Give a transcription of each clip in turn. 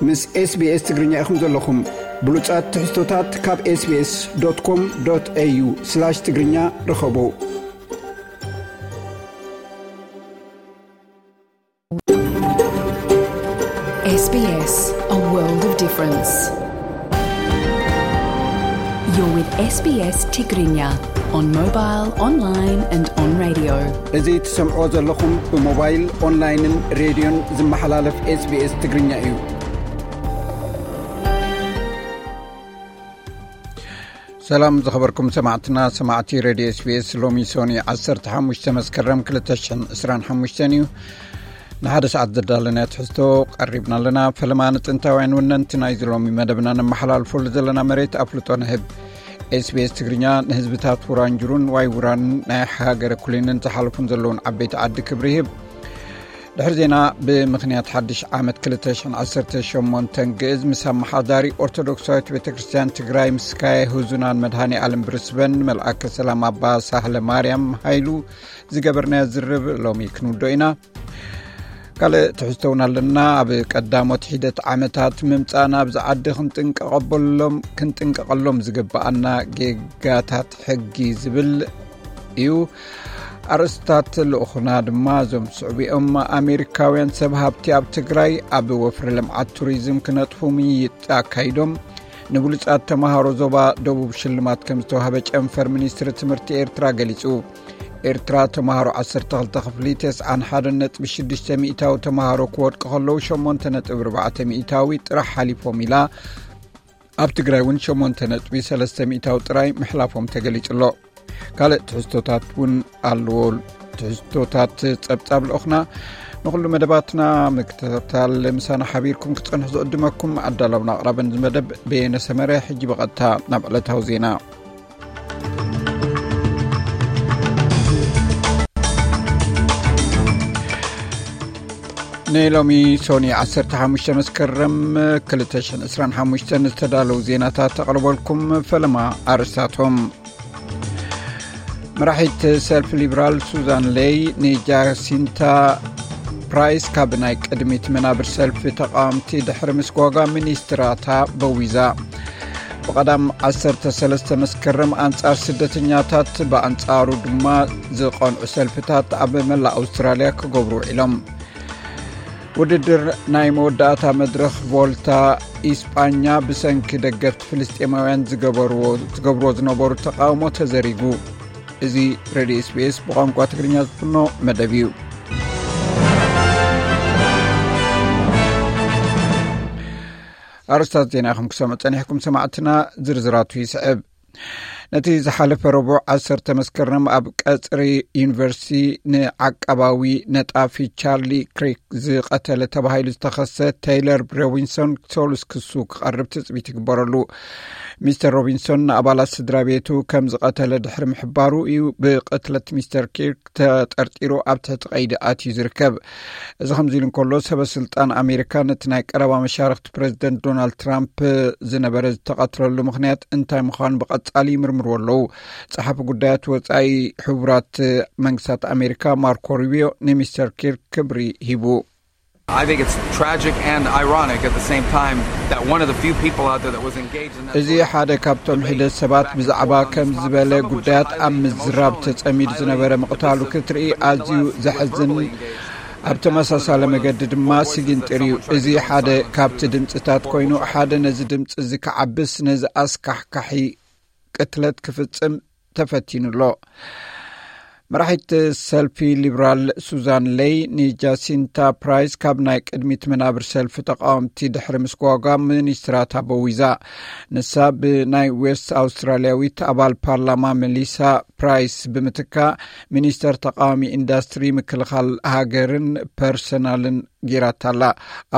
ምስ SBS ትግርኛ ኢኹም ዘለኹም። ብሉጻት ትሕዝቶታት ካብ SBS.com.au/ትግርኛ ርኸቡ። S B S, a world of difference. You're with S B S Tigrinya on mobile, online and on radio. እዚ ትሰምዖ ዘለኹም ብሞባይል፣ ኦንላይንን ሬድዮን ዝመሓላለፍ SBS ትግርኛ እዩ። ሰላም ዝኸበርኩም ሰማዕትና፣ ሰማዕቲ ሬድዮ SBS። ሎሚ ሶኒ ዓሰርተ ሓሙሽተ መስከረም ክልተ ሽሕን ዕስራን ሓሙሽተን እዩ። ንሓደ ሰዓት ዘዳለናዮ ትሕዝቶ ቀሪብና ኣለና። ፈለማ ንጥንታውያን ወነንቲ ናይዚ ሎሚ መደብና ነመሓላልፈሉ ዘለና መሬት ኣፍልጦ ንህብ። SBS ትግርኛ ንህዝብታት ውራንጅሩን ዋይ ውራን ናይ ሃገረ ኩሊንን ዝሓለፉን ዘለውን ዓበይቲ ዓዲ ክብሪ ይህብ። ድሕሪ ዜና፣ ብምኽንያት ሓድሽ ዓመት ክልተ ሽሕን ዓሰርተ ሸሞንተን ግእዝ ምስ ኣመሓዳሪ ኦርቶዶክሳዊት ቤተ ክርስቲያን ትግራይ ምስ ካየ ህዙናን መድሃኔ ኣለም ብርስበን፣ መልኣከ ሰላም ኣባ ሳህለ ማርያም ሃይሉ ዝገበርናዮ ዝርብ ሎሚ ክንውዶ ኢና። ካልእ ትሕዝቶ እውን ኣለና። ኣብ ቀዳሞት ሒደት ዓመታት ምምጻእና ኣብዚ ዓዲ ክንጥንቀቐበሎም፣ ክንጥንቀቐሎም ዝግብኣና ጌጋታት ሕጊ ዝብል እዩ። ኣርእስታት ልኡኹና ድማ እዞም ዝስዕቡ እዮም። ኣሜሪካውያን ሰብ ሃብቲ ኣብ ትግራይ ኣብ ወፍሪ ልምዓት ቱሪዝም ክነጥፉ ምይይጥ ኣካይዶም። ንብሉጻት ተምሃሮ ዞባ ደቡብ ሽልማት ከም ዝተዋህበ ጨንፈር ሚኒስትሪ ትምህርቲ ኤርትራ ገሊጹ። ኤርትራ ተምሃሮ ዓሰርተ ክልተ ክፍሊ ተስዓን ሓደን ነጥቢ ሽዱሽተ ሚእታዊ ተምሃሮ ክወድቁ ከለዉ፣ ሸሞንተ ነጥቢ ኣርባዕተ ሚእታዊ ጥራሕ ሓሊፎም ኢላ። ኣብ ትግራይ እውን ሸሞንተ ነጥቢ ሰለስተ ሚእታዊ ጥራይ ምሕላፎም ተገሊጹ ኣሎ። ካልእ ትሕዝቶታት እውን ኣለዎ። ትሕዝቶታት ጸብጻብ ልኡኽና። ንኹሉ መደባትና ምክትታል ምሳና ሓቢርኩም ክትጸንሑ ዝዕድመኩም ኣዳላውን ኣቕራብን እዚ መደብ በየነ ሰመረ። ሕጂ ብቐጥታ ናብ ዕለታዊ ዜና። ንሎሚ ሶኒ ዓሰርተ ሓሙሽተ መስከረም ክልተ ሽሕን ዕስራን ሓሙሽተን ዝተዳለዉ ዜናታት ተቕርበልኩም። ፈለማ ኣርእስታቶም። መራሒት ሰልፊ ሊብራል ሱዛን ሌይ ንጃሲንታ ፕራይስ ካብ ናይ ቅድሚት መናብር ሰልፊ ተቃወምቲ ድሕሪ ምስጓጓ ሚኒስትራታ በዊዛ። ብቐዳም ዓሰርተ ሰለስተ መስከረም ኣንጻር ስደተኛታት፣ ብኣንጻሩ ድማ ዝቐንዑ ሰልፍታት ኣብ መላእ ኣውስትራልያ ክገብሩ ውዒሎም። ውድድር ናይ መወዳእታ መድረኽ ቮልታ ኢስጳኛ ብሰንኪ ደገፍቲ ፍልስጤማውያን ዝገበርዎ፣ ዝገብርዎ ዝነበሩ ተቃውሞ ተዘሪጉ። እዚ ሬድዮ SBS ብቋንቋ ትግርኛ ዝፍኖ መደብ እዩ። ኣርእስታት ዜና ኢኹም ክሰምዑ ጸኒሕኩም ሰማዕትና፣ ዝርዝራቱ ይስዕብ። ነቲ ዝሓለፈ ረቡዕ ዓሰርተ መስከረም ኣብ ቀጽሪ ዩኒቨርሲቲ ንዓቃባዊ ነጣፊ ቻርሊ ክሪክ ዝቐተለ ተባሂሉ ዝተኸሰ ቴይለር ሮቢንሶን ሰሉስ ክሱ ክቐርብ ትጽቢት ይግበረሉ። ሚስተር ሮቢንሶን ንኣባላት ስድራ ቤቱ ከም ዝቐተለ ድሕሪ ምሕባሩ እዩ ብቕትለት ሚስተር ኪርክ ተጠርጢሩ ኣብ ትሕቲ ቀይዲ ኣትዩ ዝርከብ። እዚ ከምዚ ኢሉ እንከሎ፣ ሰበ ስልጣን ኣሜሪካ ነቲ ናይ ቀረባ መሻርኽቲ ፕሬዚደንት ዶናልድ ትራምፕ ዝነበረ ዝተቐትለሉ ምኽንያት እንታይ ምዃኑ ብቐጻሊ ይምርምርዎ ኣለዉ። ጸሓፊ ጉዳያት ወጻኢ ሕቡራት መንግስታት ኣሜሪካ ማርኮ ሩቢዮ ንሚስተር ኪርክ ክብሪ ሂቡ። I think it's tragic and ironic at the same time that one of the few people out there that was engaged in that እዚ ሓደ ካብቶም ሒደት ሰባት ብዛዕባ ከም ዝበለ ጉዳያት ኣብ ምዝራብ ተጸሚዱ ዝነበረ ምቕታሉ ክትርኢ ኣዝዩ ዘሕዝን፣ ኣብ ተመሳሳሊ መገዲ ድማ ስጊንጥር እዩ። እዚ ሓደ ካብቲ ድምፅታት ኮይኑ፣ ሓደ ነዚ ድምፂ እዚ ክዓብስ፣ ነዚ ኣስካሕካሒ ቅትለት ክፍጽም ተፈቲኑ ኣሎ። መራሒት ሰልፊ ሊብራል ሱዛን ሌይ ንጃሲንታ ፕራይስ ካብ ናይ ቅድሚት መናብር ሰልፊ ተቃወምቲ ድሕሪ ምስጓጓ ሚኒስትራታ በዊዛ። ንሳ ብናይ ዌስት ኣውስትራሊያዊት ኣባል ፓርላማ መሊሳ ፕራይስ ብምትካ፣ ሚኒስተር ተቃዋሚ ኢንዳስትሪ፣ ምክልኻል ሃገርን ፐርሰናልን ጌራታ ኣላ።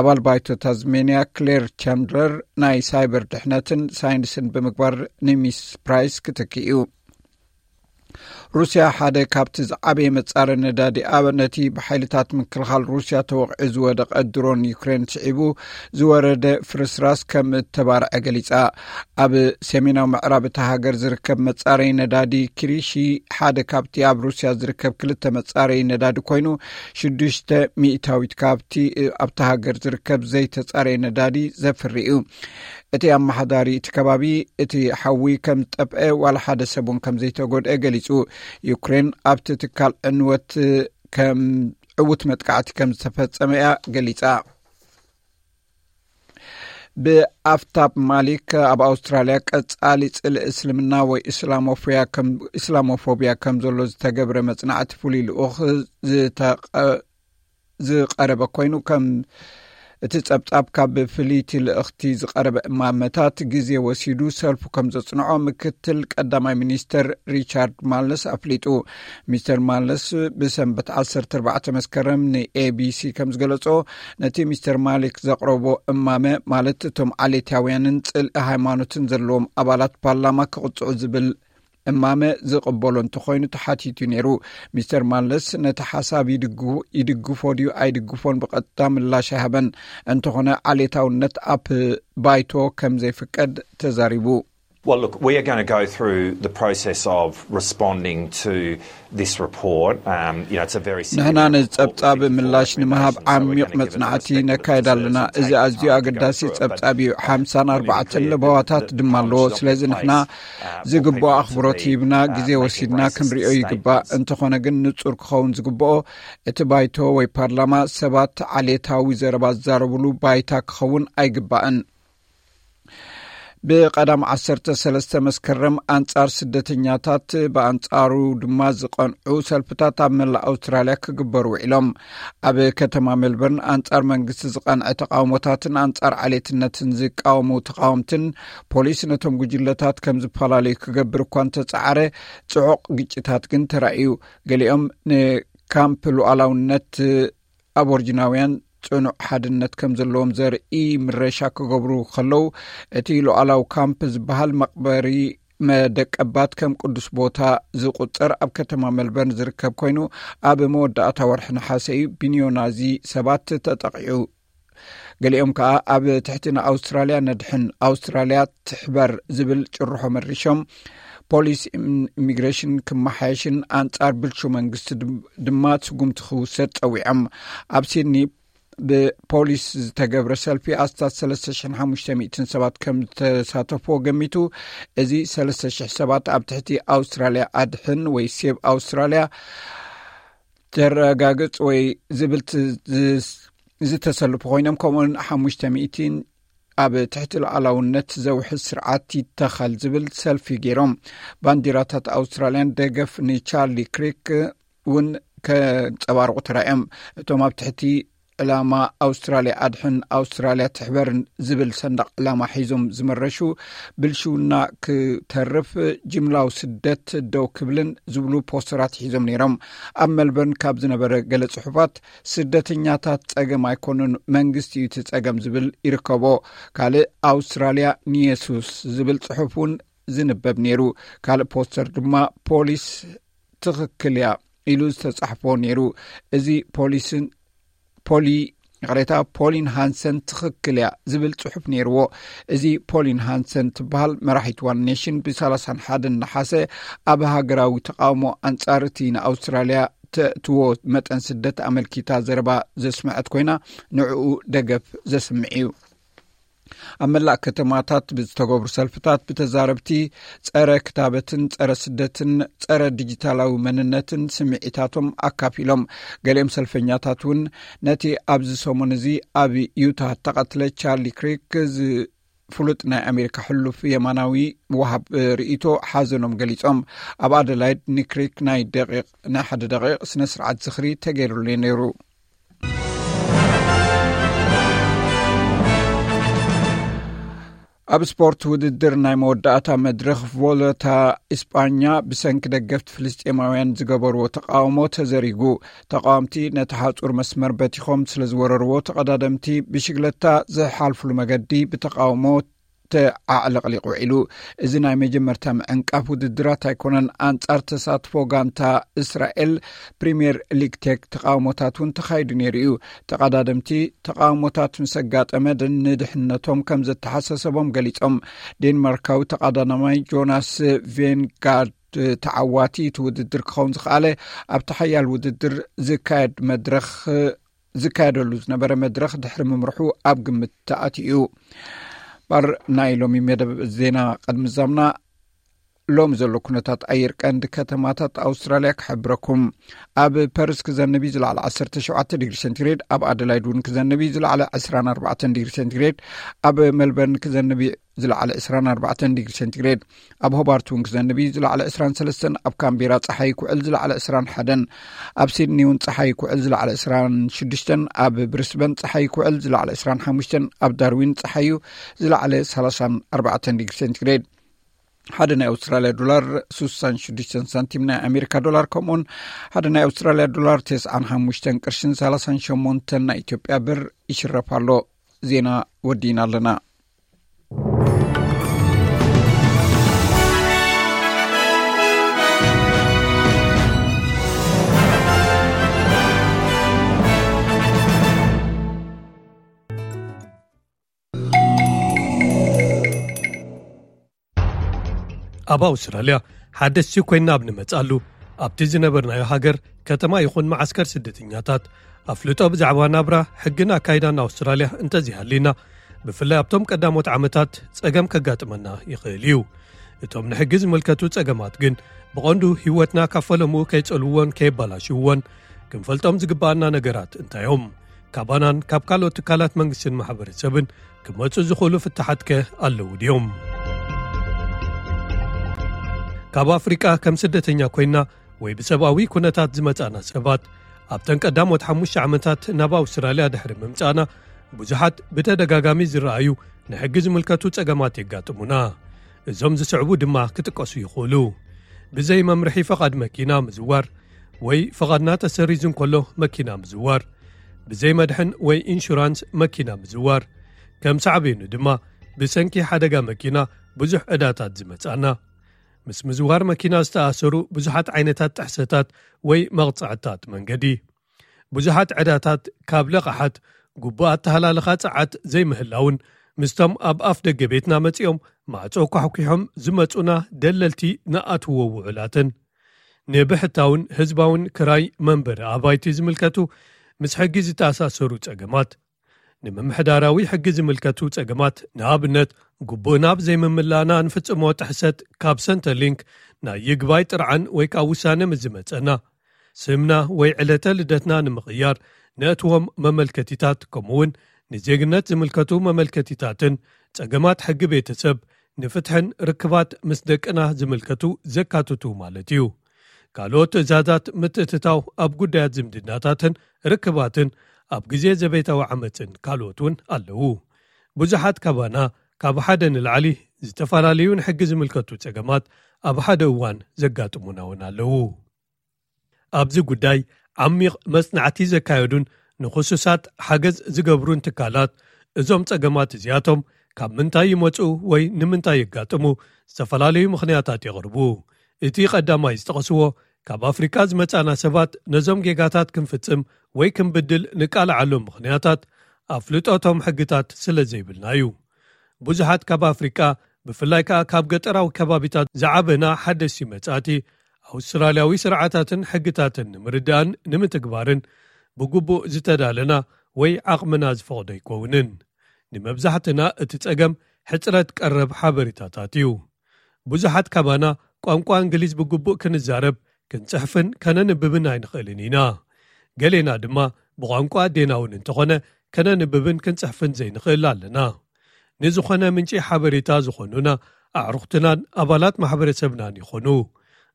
ኣባል ባይቶ ታዝሜንያ ክሌር ቻንድለር ናይ ሳይበር ድሕነትን ሳይንስን ብምግባር ንሚስ ፕራይስ ክትክእ እዩ። ሩስያ ሓደ ካብቲ ዝዓበየ መጻረ ነዳዲ ኣብ ነቲ ብሓይልታት ምክልኻል ሩስያ ተወቕዑ ዝወደቐ ድሮን ዩክሬን ስዒቡ ዝወረደ ፍርስራስ ከም እተባርዐ ገሊጻ። ኣብ ሰሜናዊ ምዕራብ እታ ሃገር ዝርከብ መጻረይ ነዳዲ ክሪሺ ሓደ ካብቲ ኣብ ሩስያ ዝርከብ ክልተ መጻረይ ነዳዲ ኮይኑ፣ ሽዱሽተ ሚእታዊት ካብቲ ኣብታ ሃገር ዝርከብ ዘይተጻረየ ነዳዲ ዘፍሪ እዩ። እቲ ኣመሓዳሪ እቲ ከባቢ፣ እቲ ሓዊ ከም ዝጠፍአ ዋላ ሓደ ሰብ እውን ከም ዘይተጎድአ ገሊጹ። ዩክሬን ኣብቲ ትካል ዕንወት ከም ዕዉት መጥቃዕቲ ከም ዝተፈጸመ እያ ገሊጻ። ብኣፍታብ ማሊክ ኣብ ኣውስትራልያ ቀጻሊ ጽልኢ እስልምና ወይ እስላሞፎያ ከም፣ እስላሞፎቢያ ከም ዘሎ ዝተገብረ መጽናዕቲ ፍሉይ ልኡኽ ዝተቐ-፣ ዝቐረበ ኮይኑ፣ ከም እቲ ጸብጻብ ካብ ፍልይቲ ልእኽቲ ዝቐረበ እማመታት ግዜ ወሲዱ ሰልፉ ከም ዘጽንዖ ምክትል ቀዳማይ ሚኒስተር ሪቻርድ ማለስ ኣፍሊጡ። ሚስተር ማለስ ብሰንበት ዓሰርተ ኣርባዕተ መስከረም ንኤቢሲ ከም ዝገለጾ፣ ነቲ ሚስተር ማሊክ ዘቕረቦ እማመ፣ ማለት እቶም ዓሌታውያንን ጽልኢ ሃይማኖትን ዘለዎም ኣባላት ፓርላማ ክቕጽዑ ዝብል እማመ ዝቕበሎ እንተኾይኑ ተሓቲቱ ነይሩ። ሚስተር ማለስ ነቲ ሓሳብ ይድግ-፣ ይድግፎ ድዩ ኣይድግፎን ብቐጥታ ምላሽ ኣይሃበን። እንተኾነ ዓሌታውነት ኣብ ባይቶ ከም ዘይፍቀድ ተዛሪቡ። Well, look, we are going to go through the process of responding to this report. Um, you know, it's a very ንሕና significant ነዚ report. We ጸብጻብ think it's all ምላሽ that we can ንምሃብ do, so we're ዓሚቕ gonna give it a መጽናዕቲ perspective ነካይድ to ኣለና። serve some እዚ time ኣዝዩ to go ኣገዳሲ through it, but ጸብጻብ እዩ። ሓምሳን ኣርባዕተን ለበዋታት ድማ ኣለዎ። ስለዚ ንሕና ዝግባእ ኣኽብሮት ሂብና ግዜ ወሲድና ክንሪኦ ይግባእ። እንተኾነ ግን ንጹር ክኸውን ዝግብኦ፣ እቲ ባይቶ ወይ ፓርላማ ሰባት ዓሌታዊ ዘረባ ዝዛረብሉ ባይታ ክኸውን ኣይግባእን። ብቐዳም ዓሰርተ ሰለስተ መስከረም ኣንጻር ስደተኛታት፣ ብኣንጻሩ ድማ ዝቐንዑ ሰልፍታት ኣብ መላእ ኣውስትራልያ ክግበሩ ውዒሎም። ኣብ ከተማ ሜልበርን ኣንጻር መንግስቲ ዝቐንዐ ተቃውሞታትን ኣንጻር ዓሌትነትን ዝቃወሙ ተቃወምትን ፖሊስ ነቶም ጉጅለታት ከም ዝፈላለዩ ክገብር እኳ እንተጸዓረ፣ ጽዑቕ ግጭታት ግን ተራእዩ። ገሊኦም ንካምፕ ሉዓላውነት ኣቦርጅናውያን ጽኑዕ ሓድነት ከም ዘለዎም ዘርኢ ምረሻ ክገብሩ ከለዉ፣ እቲ ሉዓላዊ ካምፕ ዝበሃል መቕበሪ መደቀባት ከም ቅዱስ ቦታ ዝቑጸር ኣብ ከተማ ሜልበርን ዝርከብ ኮይኑ፣ ኣብ መወዳእታ ወርሒ ነሓሰ እዩ ብኒዮናዚ ሰባት ተጠቒዑ። ገሊኦም ከኣ ኣብ ትሕቲ ንኣውስትራልያ ነድሕን፣ ኣውስትራልያ ትሕበር ዝብል ጭርሖ መሪሾም፣ ፖሊስ ኢም-፣ ኢሚግሬሽን ክመሓየሽን ኣንጻር ብልሹ መንግስቲ ድም-፣ ድማ ስጉምቲ ክውሰድ ጸዊዖም። ኣብ ሲድኒ ብፖሊስ ዝተገብረ ሰልፊ ኣስታት ሰለስተ ሽሕን ሓሙሽተ ሚእትን ሰባት ከም ዝተሳተፍዎ ገሚቱ። እዚ ሰለስተ ሽሕ ሰባት ኣብ ትሕቲ ኣውስትራልያ ኣድሕን ወይ ሴቭ ኣውስትራልያ ተረጋግጽ ወይ ዝብል ት-፣ ዝ-፣ ዝተሰልፉ ኮይኖም፣ ከምኡውን ሓሙሽተ ሚእትን ኣብ ትሕቲ ሉዓላውነት ዘውሕስ ስርዓት ይተኸል ዝብል ሰልፊ ገይሮም። ባንዲራታት ኣውስትራልያን ደገፍ ንቻርሊ ክሪክ እውን ከንጸባርቑ ተራእዮም። እቶም ኣብ ትሕቲ ዕላማ ኣውስትራልያ ኣድሕን ኣውስትራልያ ትሕበርን ዝብል ሰንደቕ ዕላማ ሒዞም ዝመረሹ፣ ብልሽውና ክተርፍ፣ ጅምላዊ ስደት ደው ክብልን ዝብሉ ፖስተራት ሒዞም ነይሮም። ኣብ ሜልበርን ካብ ዝነበረ ገለ ጽሑፋት፣ ስደተኛታት ጸገም ኣይኮኑን፣ መንግስቲ እዩ እቲ ጸገም ዝብል ይርከቦ። ካልእ ኣውስትራልያ ንየሱስ ዝብል ጽሑፍ እውን ዝንበብ ነይሩ። ካልእ ፖስተር ድማ ፖሊስ ትኽክል እያ ኢሉ ዝተጻሕፎ ነይሩ። እዚ ፖሊስን ፖሊ፣ ይቕሬታ፣ ፖሊን ሃንሰን ትኽክል እያ ዝብል ጽሑፍ ነይርዎ። እዚ ፖሊን ሃንሰን ትበሃል መራሒት ዋን ኔሽን ብ ሰላሳን ሓደን ነሓሰ ኣብ ሃገራዊ ተቃውሞ ኣንጻር እቲ ንኣውስትራልያ ተእትዎ መጠን ስደት ኣመልኪታ ዘረባ ዘስምዐት ኮይና፣ ንዕኡ ደገፍ ዘስምዕ እዩ። ኣብ መላእ ከተማታት ብዝተገብሩ ሰልፍታት ብተዛረብቲ ጸረ ክታበትን ጸረ ስደትን ጸረ ዲጂታላዊ መንነትን ስምዒታቶም ኣካፊሎም። ገሊኦም ሰልፈኛታት እውን ነቲ ኣብዚ ሰሙን እዚ ኣብ ዩታ እተቐትለ ቻርሊ ክሪክ ዝ-፣ ፍሉጥ ናይ ኣሜሪካ ሕሉፍ የማናዊ ወሃብ ርእይቶ ሓዘኖም ገሊጾም። ኣብ ኣደላይድ ንክሪክ ናይ ደቂቕ፣ ናይ ሓደ ደቂቕ ስነ ስርዓት ዝኽሪ ተገይሩሉ ነይሩ። ኣብ ስፖርት ውድድር ናይ መወዳእታ መድረኽ ቮለታ እስጳኛ ብሰንኪ ደገፍቲ ፍልስጤማውያን ዝገበርዎ ተቃውሞ ተዘሪጉ። ተቃወምቲ ነቲ ሓጹር መስመር በቲኾም ስለ ዝወረርዎ ተቐዳደምቲ ብሽግለታ ዝሓልፍሉ መገዲ ብተቃውሞ ኣዕለቕሊቑ ውዒሉ። እዚ ናይ መጀመርታ ምዕንቃፍ ውድድራት ኣይኮነን። ኣንጻር ተሳትፎ ጋንታ እስራኤል ፕሪምየር ሊግ ቴክ ተቃውሞታት እውን ተኻይዱ ነይሩ እዩ። ተቐዳደምቲ ተቃውሞታት ምስ ኣጋጠመ ድ-፣ ንድሕነቶም ከም ዘተሓሳሰቦም ገሊጾም። ዴንማርካዊ ተቐዳዳማይ ጆናስ ቬንጋርድ ተዓዋቲ እቲ ውድድር ክኸውን ዝኸኣለ ኣብቲ ሓያል ውድድር ዝካየድ መድረኽ፣ ዝካየደሉ ዝነበረ መድረኽ ድሕሪ ምምርሑ ኣብ ግምት ተኣትዩ እዩ። ባር ናይ ሎሚ መደብ ዜና ቅድሚ ዛምና ሎም ዘሎ ኩነታት ኣየር ቀንዲ ከተማታት ኣውስትራልያ ክሕብረኩም። ኣብ ፐርስ ክዘንብ እዩ ዝለዓለ ዓሰርተ ሸውዓተ ዲግሪ ሴንቲግሬድ፣ ኣብ ኣደላይድ እውን ክዘንብ እዩ ዝለዓለ ዕስራን ኣርባዕተን ዲግሪ ሴንቲግሬድ፣ ኣብ ሜልበርን ክዘንብ እዩ ዝለዓለ ዕስራን ኣርባዕተን ዲግሪ ሴንቲግሬድ፣ ኣብ ሆባርት እውን ክዘንብ እዩ ዝለዓለ ዕስራን ሰለስተን፣ ኣብ ካምቤራ ጸሓይ ክውዕል ዝለዓለ ዕስራን ሓደን፣ ኣብ ሲድኒ እውን ጸሓይ ክውዕል ዝለዓለ ዕስራን ሽዱሽተን፣ ኣብ ብሪስበን ጸሓይ ክውዕል ዝለዓለ ዕስራን ሓሙሽተን፣ ኣብ ዳርዊን ጸሓዩ ዝለዓለ ሰላሳን ኣርባዕተን ዲግሪ ሴንቲግሬድ። ሓደ ናይ ኣውስትራልያ ዶላር ስሳን ሽዱሽተን ሳንቲም ናይ ኣሜሪካ ዶላር፣ ከምኡውን ሓደ ናይ ኣውስትራልያ ዶላር ተስዓን ሓሙሽተን ቅርሽን ሰላሳን ሸሞንተን ናይ ኢትዮጵያ ብር ይሽረፍ ኣሎ። ዜና ወዲና ኣለና። ኣብ ኣውስትራልያ ሓደስቲ ኮይና ኣብ ንመጽኣሉ፣ ኣብቲ ዝነበርናዮ ሃገር ከተማ ይኹን መዓስከር ስደተኛታት ኣፍልጦ ብዛዕባ ናብራ፣ ሕግን ኣካይዳን ኣውስትራልያ እንተዘይሃልዩና፣ ብፍላይ ኣብቶም ቀዳሞት ዓመታት ጸገም ከጋጥመና ይኽእል እዩ። እቶም ንሕጊ ዝምልከቱ ጸገማት ግን ብቐንዱ ህይወትና ካብ ፈለምኡ ከይጸልውዎን ከየባላሽውዎን ክንፈልጦም ዝግብኣና ነገራት እንታይ እዮም? ካባናን ካብ ካልኦት ትካላት መንግስትን ማሕበረሰብን ክመጹ ዝኽእሉ ፍታሓት ከ ኣለዉ ድዮም? ካብ ኣፍሪቃ ከም ስደተኛ ኮይና ወይ ብሰብኣዊ ኩነታት ዝመጻና ሰባት ኣብተን ቀዳሞት ሓሙሽተ ዓመታት ናብ ኣውስትራልያ ድሕሪ ምምጻና ብዙሓት ብተደጋጋሚ ዝረኣዩ ንሕጊ ዝምልከቱ ጸገማት የጋጥሙና። እዞም ዝስዕቡ ድማ ክጥቀሱ ይኽእሉ። ብዘይ መምርሒ ፈቓድ መኪና ምዝዋር ወይ ፈቓድና ተሰሪዙ እንከሎ መኪና ምዝዋር፣ ብዘይ መድሕን ወይ ኢንሹራንስ መኪና ምዝዋር፣ ከም ሳዕቤኑ ድማ ብሰንኪ ሓደጋ መኪና ብዙሕ ዕዳታት ዝመጻና፣ ምስ ምዝዋር መኪና ዝተኣሰሩ ብዙሓት ዓይነታት ጥሕሰታት ወይ መቕጻዕታት መንገዲ፣ ብዙሓት ዕዳታት ካብ ለቓሓት፣ ግቡእ ኣተሃላልኻ ጸዓት ዘይምህላውን ምስቶም ኣብ ኣፍ ደገ ቤትና መጺኦም ማዕጾ ኳሕኲሖም ዝመጹና ደለልቲ ንኣትዎ ውዑላትን፣ ንብሕታውን ህዝባውን ክራይ መንበሪ ኣባይቲ ዝምልከቱ ምስ ሕጊ ዝተኣሳሰሩ ጸገማት፣ ንምምሕዳራዊ ሕጊ ዝምልከቱ ጸገማት፣ ንኣብነት ግቡእና ብዘይምምላእና እንፍጽሞ ጥሕሰት ካብ ሰንተርሊንክ ናይ ይግባይ ጥርዓን ወይ ከኣ ውሳነ ምስ ዝመጸና፣ ስምና ወይ ዕለተ ልደትና ንምቕያር ነእትዎም መመልከቲታት፣ ከምኡውን ንዜግነት ዝምልከቱ መመልከቲታትን ጸገማት ሕጊ ቤተሰብ፣ ንፍትሕን ርክባት ምስ ደቅና ዝምልከቱ ዘካትቱ ማለት እዩ። ካልኦት ትእዛዛት ምትእትታው ኣብ ጉዳያት ዝምድናታትን ርክባትን ኣብ ግዜ ዘቤታዊ ዓመጽን ካልኦት እውን ኣለዉ። ብዙሓት ካባና ካብ ሓደ ንላዕሊ ዝተፈላለዩ ንሕጊ ዝምልከቱ ጸገማት ኣብ ሓደ እዋን ዘጋጥሙና እውን ኣለዉ። ኣብዚ ጉዳይ ዓሚቕ መጽናዕቲ ዘካየዱን ንኽሱሳት ሓገዝ ዝገብሩን ትካላት፣ እዞም ጸገማት እዚኣቶም ካብ ምንታይ ይመጹ ወይ ንምንታይ የጋጥሙ ዝተፈላለዩ ምኽንያታት የቕርቡ። እቲ ቀዳማይ ዝጠቐስዎ፣ ካብ ኣፍሪቃ ዝመጻና ሰባት ነዞም ጌጋታት ክንፍጽም ወይ ክንብድል ንቃልዓሎም ምኽንያታት ኣፍልጦ እቶም ሕግታት ስለ ዘይብልና እዩ። ብዙሓት ካብ ኣፍሪቃ፣ ብፍላይ ከኣ ካብ ገጠራዊ ከባቢታት ዝዓበና ሓደስቲ መጻእቲ፣ ኣውስትራልያዊ ስርዓታትን ሕግታትን ንምርዳእን ንምትግባርን ብግቡእ ዝተዳለና ወይ ዓቕምና ዝፈቕዶ ኣይኮውንን። ንመብዛሕትና እቲ ጸገም ሕጽረት ቀረብ ሓበሬታታት እዩ። ብዙሓት ካባና ቋንቋ እንግሊዝ ብግቡእ ክንዛረብ፣ ክንጽሕፍን ከነንብብን ኣይንኽእልን ኢና። ገሌና ድማ ብቋንቋ ኣዴና እውን እንተኾነ ከነንብብን ክንጽሕፍን ዘይንኽእል ኣለና። ንዝኾነ ምንጪ ሓበሬታ ዝኾኑና ኣዕሩኽትናን ኣባላት ማሕበረሰብናን ይኾኑ።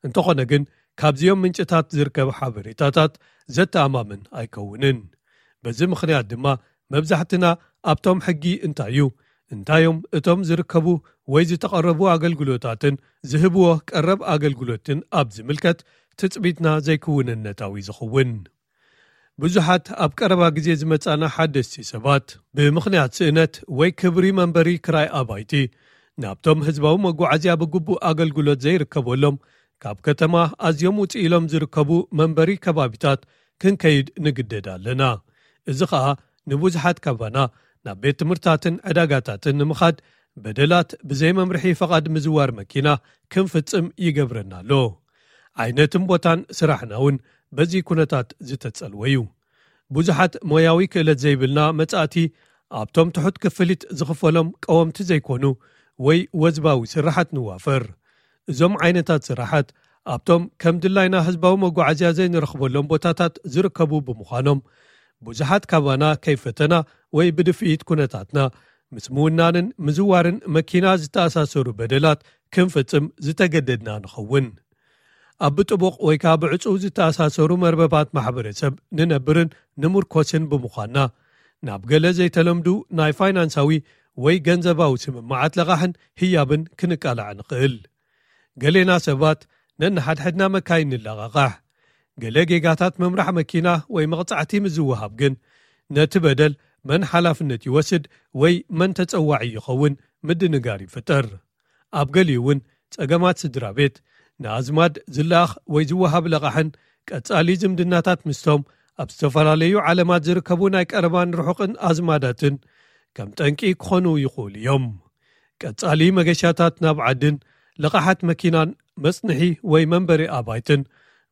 እንተኾነ ግን ካብዚኦም ምንጭታት ዝርከብ ሓበሬታታት ዘተኣማምን ኣይከውንን። በዚ ምኽንያት ድማ መብዛሕትና ኣብቶም ሕጊ እንታይ እዩ፣ እንታዮም እቶም ዝርከቡ ወይ ዝተቐረቡ ኣገልግሎታትን ዝህብዎ ቀረብ ኣገልግሎትን ኣብ ዝምልከት ትጽቢትና ዘይክውንነታዊ ዝኸውን። ብዙሓት ኣብ ቀረባ ግዜ ዝመጻና ሓደስቲ ሰባት፣ ብምኽንያት ስእነት ወይ ክብሪ መንበሪ ክራይ ኣባይቲ፣ ናብቶም ህዝባዊ መጓዓዝያ ብግቡእ ኣገልግሎት ዘይርከበሎም፣ ካብ ከተማ ኣዝዮም ውጽእ ኢሎም ዝርከቡ መንበሪ ከባቢታት ክንከይድ ንግደድ ኣለና። እዚ ኸኣ ንብዙሓት ካባና ናብ ቤት ትምህርትታትን ዕዳጋታትን ንምኻድ፣ በደላት ብዘይ መምርሒ ፈቓድ ምዝዋር መኪና ክንፍጽም ይገብረና ኣሎ። ዓይነትን ቦታን ስራሕና እውን በዚ ኩነታት ዝተጸልወ እዩ። ብዙሓት ሞያዊ ክእለት ዘይብልና መጻእቲ፣ ኣብቶም ትሑት ክፍሊት ዝኽፈሎም ቀወምቲ ዘይኮኑ ወይ ወዝባዊ ስራሓት ንዋፈር። እዞም ዓይነታት ስራሓት ኣብቶም ከም ድላይና ህዝባዊ መጓዓዝያ ዘይንረኽበሎም ቦታታት ዝርከቡ ብምዃኖም፣ ብዙሓት ካባና ከይፈተና ወይ ብድፍኢት ኩነታትና ምስ ምውናንን ምዝዋርን መኪና ዝተኣሳሰሩ በደላት ክንፍጽም ዝተገደድና ንኸውን። ኣብ ብጥቡቕ ወይ ከኣ ብዕጹው ዝተኣሳሰሩ መርበባት ማሕበረሰብ ንነብርን ንምርኮስን ብምዃንና፣ ናብ ገለ ዘይተለምዱ ናይ ፋይናንሳዊ ወይ ገንዘባዊ ስምምዓት ለቓሕን ህያብን ክንቃላዕ ንኽእል። ገሌና ሰባት ነንሓድሕድና መካይን ንለቓቓሕ። ገለ ጌጋታት ምምራሕ መኪና ወይ መቕጻዕቲ ምስ ዝወሃብ ግን፣ ነቲ በደል መን ሓላፍነት ይወስድ ወይ መን ተጸዋዒ ይኸውን ምድንጋር ይፍጠር። ኣብ ገሊኡ እውን ጸገማት ስድራ ቤት፣ ንኣዝማድ ዝለኣኽ ወይ ዝወሃብ ለቓሕን ቀጻሊ ዝምድናታት ምስቶም ኣብ ዝተፈላለዩ ዓለማት ዝርከቡ ናይ ቀረባን ርሑቕን ኣዝማዳትን ከም ጠንቂ ክኾኑ ይኽእሉ እዮም። ቀጻሊ መገሻታት ናብ ዓድን ለቓሓት መኪናን፣ መጽንሒ ወይ መንበሪ ኣባይትን፣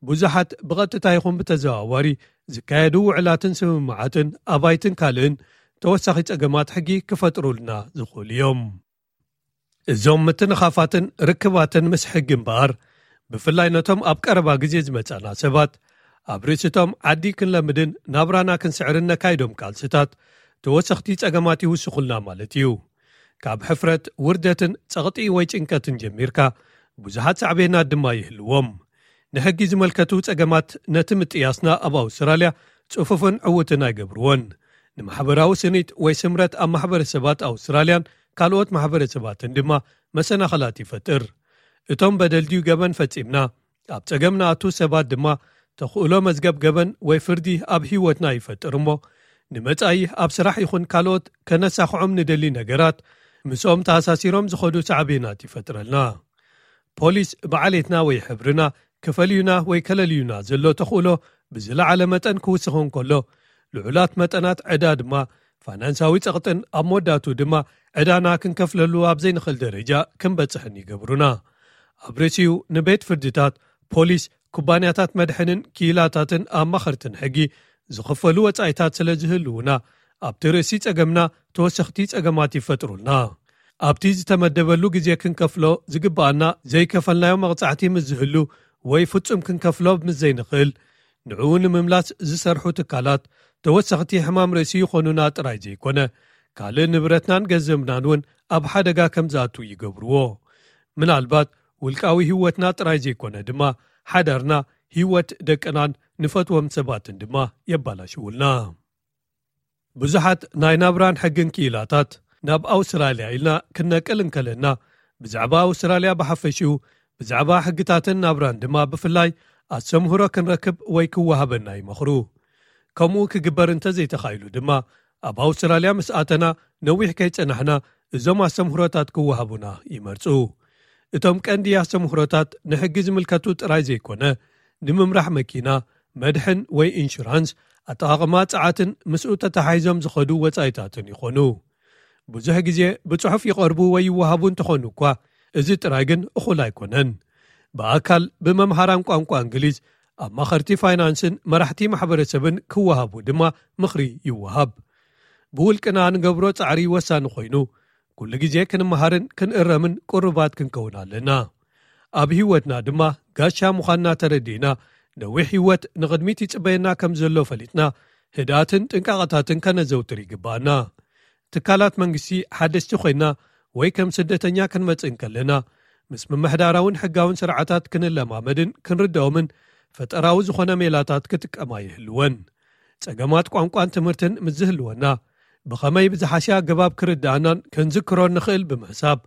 ብዙሓት ብቐጥታ ይኹን ብተዘዋዋሪ ዝካየዱ ውዕላትን ስምምዓትን ኣባይትን ካልእን ተወሳኺ ጸገማት ሕጊ ክፈጥሩልና ዝኽእሉ እዮም። እዞም ምትንኻፋትን ርክባትን ምስ ሕጊ እምበኣር፣ ብፍላይ ነቶም ኣብ ቀረባ ግዜ ዝመጻና ሰባት፣ ኣብ ርእሲቶም ዓዲ ክንለምድን ናብራና ክንስዕርን ነካይዶም ቃልስታት፣ ተወሰኽቲ ጸገማት ይውስኹልና ማለት እዩ። ካብ ሕፍረት፣ ውርደትን ጸቕጢ ወይ ጭንቀትን ጀሚርካ፣ ብዙሓት ሳዕቤናት ድማ ይህልዎም። ንሕጊ ዝመልከቱ ጸገማት ነቲ ምጥያስና ኣብ ኣውስትራልያ ጽፉፍን ዕዉትን ኣይገብርዎን። ንማሕበራዊ ስኒት ወይ ስምረት ኣብ ማሕበረሰባት ኣውስትራልያን ካልኦት ማሕበረሰባትን ድማ መሰናኸላት ይፈጥር። እቶም በደል ድዩ ገበን ፈጺምና ኣብ ጸገም ንኣቱ ሰባት ድማ፣ ተኽእሎ መዝገብ ገበን ወይ ፍርዲ ኣብ ህይወትና ይፈጥር እሞ፣ ንመጻኢ ኣብ ስራሕ ይኹን ካልኦት ከነሳኽዖም ንደሊ ነገራት፣ ምስኦም ተኣሳሲሮም ዝኸዱ ሳዕቤናት ይፈጥረልና። ፖሊስ ብዓሌትና ወይ ሕብርና ክፈልዩና ወይ ከለልዩና ዘሎ ተኽእሎ ብዝለዓለ መጠን ክውስኽ እንከሎ፣ ልዑላት መጠናት ዕዳ ድማ ፋይናንሳዊ ጸቕጥን ኣብ መወዳእቱ ድማ ዕዳና ክንከፍለሉ ኣብ ዘይንኽእል ደረጃ ክንበጽሕን ይገብሩና። ኣብ ርእሲኡ ንቤት ፍርድታት፣ ፖሊስ፣ ኩባንያታት መድሕንን ክኢላታትን ኣማኸርትን ሕጊ ዝኽፈሉ ወጻኢታት ስለ ዝህልዉና፣ ኣብቲ ርእሲ ጸገምና ተወሰኽቲ ጸገማት ይፈጥሩልና። ኣብቲ ዝተመደበሉ ግዜ ክንከፍሎ ዝግብኣና ዘይከፈልናዮ መቕጻዕቲ ምስ ዝህሉ ወይ ፍጹም ክንከፍሎ ምስ ዘይንኽእል፣ ንዕኡ ንምምላስ ዝሰርሑ ትካላት ተወሰኽቲ ሕማም ርእሲ ይኾኑና ጥራይ ዘይኮነ፣ ካልእ ንብረትናን ገንዘብናን እውን ኣብ ሓደጋ ከም ዝኣቱ ይገብርዎ። ምናልባት ውልቃዊ ህይወትና ጥራይ ዘይኮነ ድማ፣ ሓዳርና፣ ህይወት ደቅናን ንፈትዎም ሰባትን ድማ የባላሽውልና። ብዙሓት ናይ ናብራን ሕግን ክኢላታት፣ ናብ ኣውስትራልያ ኢልና ክንነቅል እንከለና፣ ብዛዕባ ኣውስትራልያ ብሓፈሽኡ፣ ብዛዕባ ሕግታትን ናብራን ድማ ብፍላይ ኣስተምህሮ ክንረክብ ወይ ክወሃበና ይመኽሩ። ከምኡ ክግበር እንተዘይተኻኢሉ ድማ፣ ኣብ ኣውስትራልያ ምስ ኣተና ነዊሕ ከይጸናሕና እዞም ኣስተምህሮታት ክወሃቡና ይመርጹ። እቶም ቀንዲ ኣስተምህሮታት ንሕጊ ዝምልከቱ ጥራይ ዘይኮነ፣ ንምምራሕ መኪና፣ መድሕን ወይ ኢንሹራንስ፣ ኣጠቓቕማ ጸዓትን ምስኡ ተተሓሒዞም ዝኸዱ ወጻኢታትን ይኾኑ። ብዙሕ ግዜ ብጽሑፍ ይቐርቡ ወይ ይወሃቡ እንተኾኑ እኳ፣ እዚ ጥራይ ግን እኹል ኣይኮነን። ብኣካል ብመምሃራን ቋንቋ እንግሊዝ፣ ኣማኸርቲ ፋይናንስን መራሕቲ ማሕበረሰብን ክወሃቡ ድማ ምኽሪ ይወሃብ። ብውልቅና ንገብሮ ጻዕሪ ወሳኒ ኮይኑ፣ ኩሉ ግዜ ክንመሃርን ክንእረምን ቅሩባት ክንከውን ኣለና። ኣብ ህይወትና ድማ ጋሻ ምዃንና ተረዲእና፣ ነዊሕ ህይወት ንቕድሚት ይጽበየና ከም ዘሎ ፈሊጥና፣ ህድኣትን ጥንቃቐታትን ከነዘውትር ይግብኣና። ትካላት መንግስቲ ሓደስቲ ኮይና ወይ ከም ስደተኛ ክንመጽእ እንከለና፣ ምስ ምምሕዳራውን ሕጋውን ስርዓታት ክንለማመድን ክንርድኦምን ፈጠራዊ ዝኾነ ሜላታት ክጥቀማ ይህልወን። ጸገማት ቋንቋን ትምህርትን ምስ ዝህልወና፣ ብኸመይ ብዝሓሸ ኣገባብ ክርድኣናን ክንዝክሮን ንኽእል ብምሕሳብ፣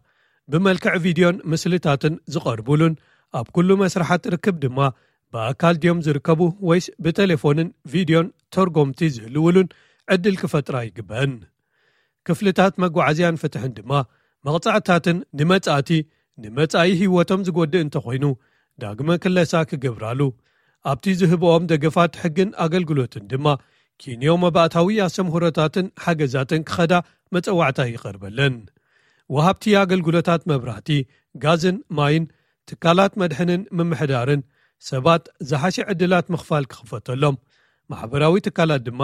ብመልክዕ ቪድዮን ምስልታትን ዝቐርቡሉን ኣብ ኩሉ መስርሓት ርክብ ድማ ብኣካል ድዮም ዝርከቡ ወይስ ብቴሌፎንን ቪድዮን ተርጎምቲ ዝህልውሉን ዕድል ክፈጥራ ይግበን። ክፍልታት መጓዓዝያን ፍትሕን ድማ መቕጻዕታትን ንመጻእቲ ንመጻኢ ህይወቶም ዝጎድእ እንተኾይኑ ዳግመ ክለሳ ክገብራሉ፣ ኣብቲ ዝህብኦም ደገፋት ሕግን ኣገልግሎትን ድማ ኪንዮ መባእታዊ ኣስተምህሮታትን ሓገዛትን ክኸዳ መጸዋዕታ ይቐርበለን። ወሃብቲ ኣገልግሎታት መብራህቲ፣ ጋዝን ማይን፣ ትካላት መድሕንን ምምሕዳርን ሰባት ዝሓሸ ዕድላት ምኽፋል ክኽፈተሎም፣ ማሕበራዊ ትካላት ድማ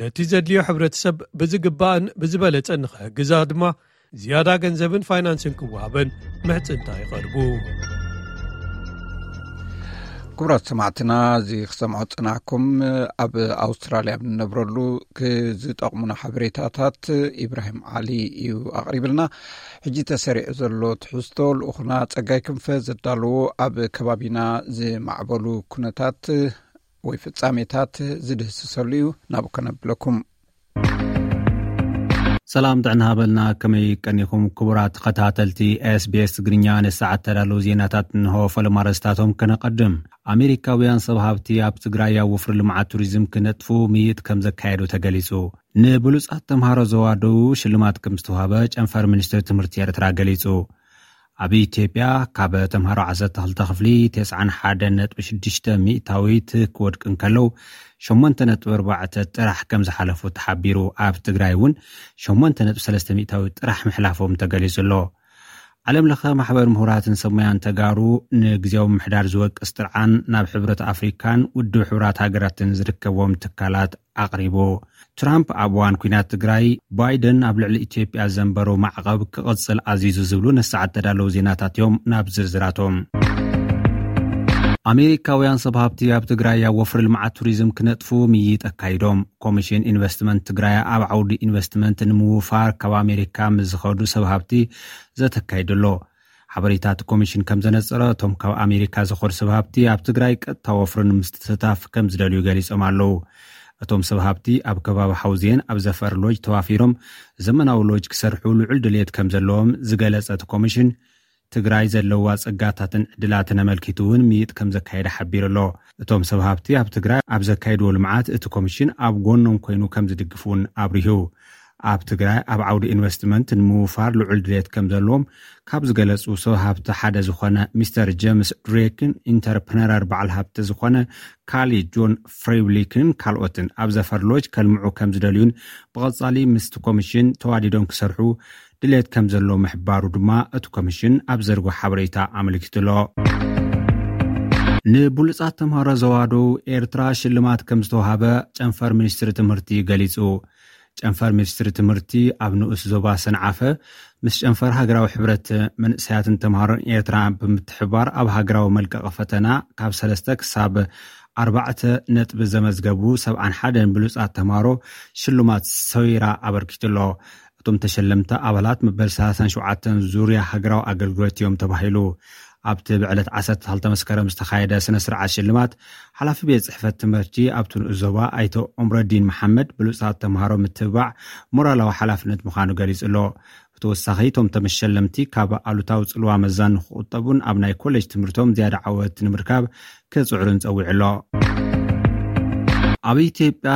ነቲ ዘድልዮ ሕብረተሰብ ብዝግባእን ብዝበለጸን ንኽሕግዛ ድማ ዝያዳ ገንዘብን ፋይናንስን ክወሃበን ምሕጽንታ ይቐርቡ። ክቡራት ሰማዕትና፣ እዚ ክሰምዖ ጽናሕኩም ኣብ ኣውስትራልያ ኣብ ንነብረሉ ክዝጠቕሙና ሓበሬታታት ኢብራሂም ዓሊ እዩ ኣቕሪብልና። ሕጂ ተሰሪዑ ዘሎ ትሕዝቶ ልኡኹና ጸጋይ ክንፈ ዘዳለዎ ኣብ ከባቢና ዝማዕበሉ ኩነታት ወይ ፍጻሜታት ዝድህስሰሉ እዩ። ናብ ከነብለኩም። ሰላም ጥዕና ሃበልና። ከመይ ቀኒኹም ክቡራት ተኸታተልቲ SBS ትግርኛ? ንሰዓት ተዳለዉ ዜናታት እንሆ። ፈለማ ኣርእስታቶም ከነቐድም። ኣሜሪካውያን ሰብ ሃብቲ ኣብ ትግራይ ኣብ ወፍሪ ልምዓት ቱሪዝም ክነጥፉ ምይጥ ከም ዘካየዱ ተገሊጹ። ንብሉጻት ተምሃሮ ዘዋደዉ ሽልማት ከም ዝተዋህበ ጨንፈር ሚኒስትሪ ትምህርቲ ኤርትራ ገሊጹ። ኣብ ኢትዮጵያ ካብ ተምሃሮ ዓሰርተ ክልተ ክፍሊ ተስዓን ሓደን ነጥቢ ሽዱሽተ ሚእታዊት ክወድቂ እንከለዉ ሸሞንተ ነጥቢ ኣርባዕተ ጥራሕ ከም ዝሓለፉ ተሓቢሩ። ኣብ ትግራይ እውን ሸሞንተ ነጥቢ ሰለስተ ሚእታዊት ጥራሕ ምሕላፎም ተገሊጹ ኣሎ። ዓለም ለኸ ማሕበር ምሁራትን ሰብ ሞያን ተጋሩ ንግዜያዊ ምምሕዳር ዝወቅስ ጥርዓን ናብ ሕብረት ኣፍሪካን ውድብ ሕቡራት ሃገራትን ዝርከብዎም ትካላት ኣቕሪቡ። ትራምፕ ኣብ እዋን ኲናት ትግራይ፣ ባይደን ኣብ ልዕሊ ኢትዮጵያ ዘንበሮ ማዕቐብ ክቕጽል ኣዚዙ ዝብሉ ንሰዓት ተዳለዉ ዜናታት እዮም። ናብ ዝርዝራቶም። ኣሜሪካውያን ሰብ ሃብቲ ኣብ ትግራይ ኣብ ወፍሪ ልምዓት ቱሪዝም ክነጥፉ ምይጥ ኣካይዶም። ኮሚሽን ኢንቨስትመንት ትግራይ ኣብ ዓውዲ ኢንቨስትመንት ንምውፋር ካብ ኣሜሪካ ምስ ዝኸዱ ሰብ ሃብቲ ዘተካይዱ ኣሎ። ሓበሬታ እቲ ኮሚሽን ከም ዘነጸረ፣ እቶም ካብ ኣሜሪካ ዝኸዱ ሰብ ሃብቲ ኣብ ትግራይ ቀጥታ ወፍሪ ንምስትታፍ ከም ዝደልዩ ገሊጾም ኣለዉ። እቶም ሰብ ሃብቲ ኣብ ከባቢ ሓውዜን ኣብ ዘፈር ሎጅ ተዋፊሮም ዘመናዊ ሎጅ ክሰርሑ ልዑል ድልየት ከም ዘለዎም ዝገለጸ እቲ ኮሚሽን፣ ትግራይ ዘለዋ ጸጋታትን ዕድላትን ኣመልኪቱ እውን ምይጥ ከም ዘካየደ ሓቢሩ ኣሎ። እቶም ሰብ ሃብቲ ኣብ ትግራይ ኣብ ዘካየድዎ ልምዓት እቲ ኮሚሽን ኣብ ጎኖም ኮይኑ ከም ዝድግፍ እውን ኣብሪሁ። ኣብ ትግራይ ኣብ ዓውዲ ኢንቨስትመንት ንምውፋር ልዑል ድሌት ከም ዘለዎም ካብ ዝገለጹ ሰብ ሃብቲ ሓደ ዝኾነ ሚስተር ጀምስ ድሬክን ኢንተርፕረነር በዓል ሃብቲ ዝኾነ ካሊ ጆን ፍሬብሊክን ካልኦትን ኣብ ዘፈር ሎጅ ከልምዑ ከም ዝደልዩን ብቐጻሊ ምስቲ ኮሚሽን ተዋዲዶም ክሰርሑ ድሌት ከም ዘሎ ምሕባሩ ድማ እቲ ኮሚሽን ኣብ ዘርጎ ሓበሬታ ኣመልኪቱ ኣሎ። ንብሉጻት ተምሃሮ ዘዋደው ኤርትራ ሽልማት ከም ዝተዋሃበ ጨንፈር ሚኒስትሪ ትምህርቲ ገሊጹ። ጨንፈር ሚኒስትሪ ትምህርቲ ኣብ ንኡስ ዞባ ሰንዓፈ ምስ ጨንፈር ሃገራዊ ሕብረት መንእሰያትን ተምሃሮን ኤርትራ ብምትሕባር ኣብ ሃገራዊ መልቀቂ ፈተና ካብ ሰለስተ ክሳብ ኣርባዕተ ነጥቢ ዘመዝገቡ ሰብዓን ሓደን ብሉጻት ተምሃሮ ሽልማት ሰዊራ ኣበርኪቱ ኣሎ። እቶም ተሸለምቲ ኣባላት መበል ሰላሳን ሸውዓተን ዙርያ ሃገራዊ ኣገልግሎት እዮም ተባሂሉ። ኣብቲ ብዕለት ዓሰርተ ክልተ መስከረም ዝተኻየደ ስነ ስርዓት ሽልማት፣ ሓላፊ ቤት ጽሕፈት ትምህርቲ ኣብቲ ንኡስ ዞባ ኣይተ ዑምረዲን መሓመድ ብሉጻት ተምሃሮ ምትብባዕ ሞራላዊ ሓላፍነት ምዃኑ ገሊጹ ኣሎ። ብተወሳኺ እቶም ተመሸለምቲ ካብ ኣሉታዊ ጽልዋ መዛን ንክቁጠቡን ኣብ ናይ ኮሌጅ ትምህርቶም ዝያዳ ዓወት ንምርካብ ክጽዕሩን ጸዊዑ ኣሎ። ኣብ ኢትዮጵያ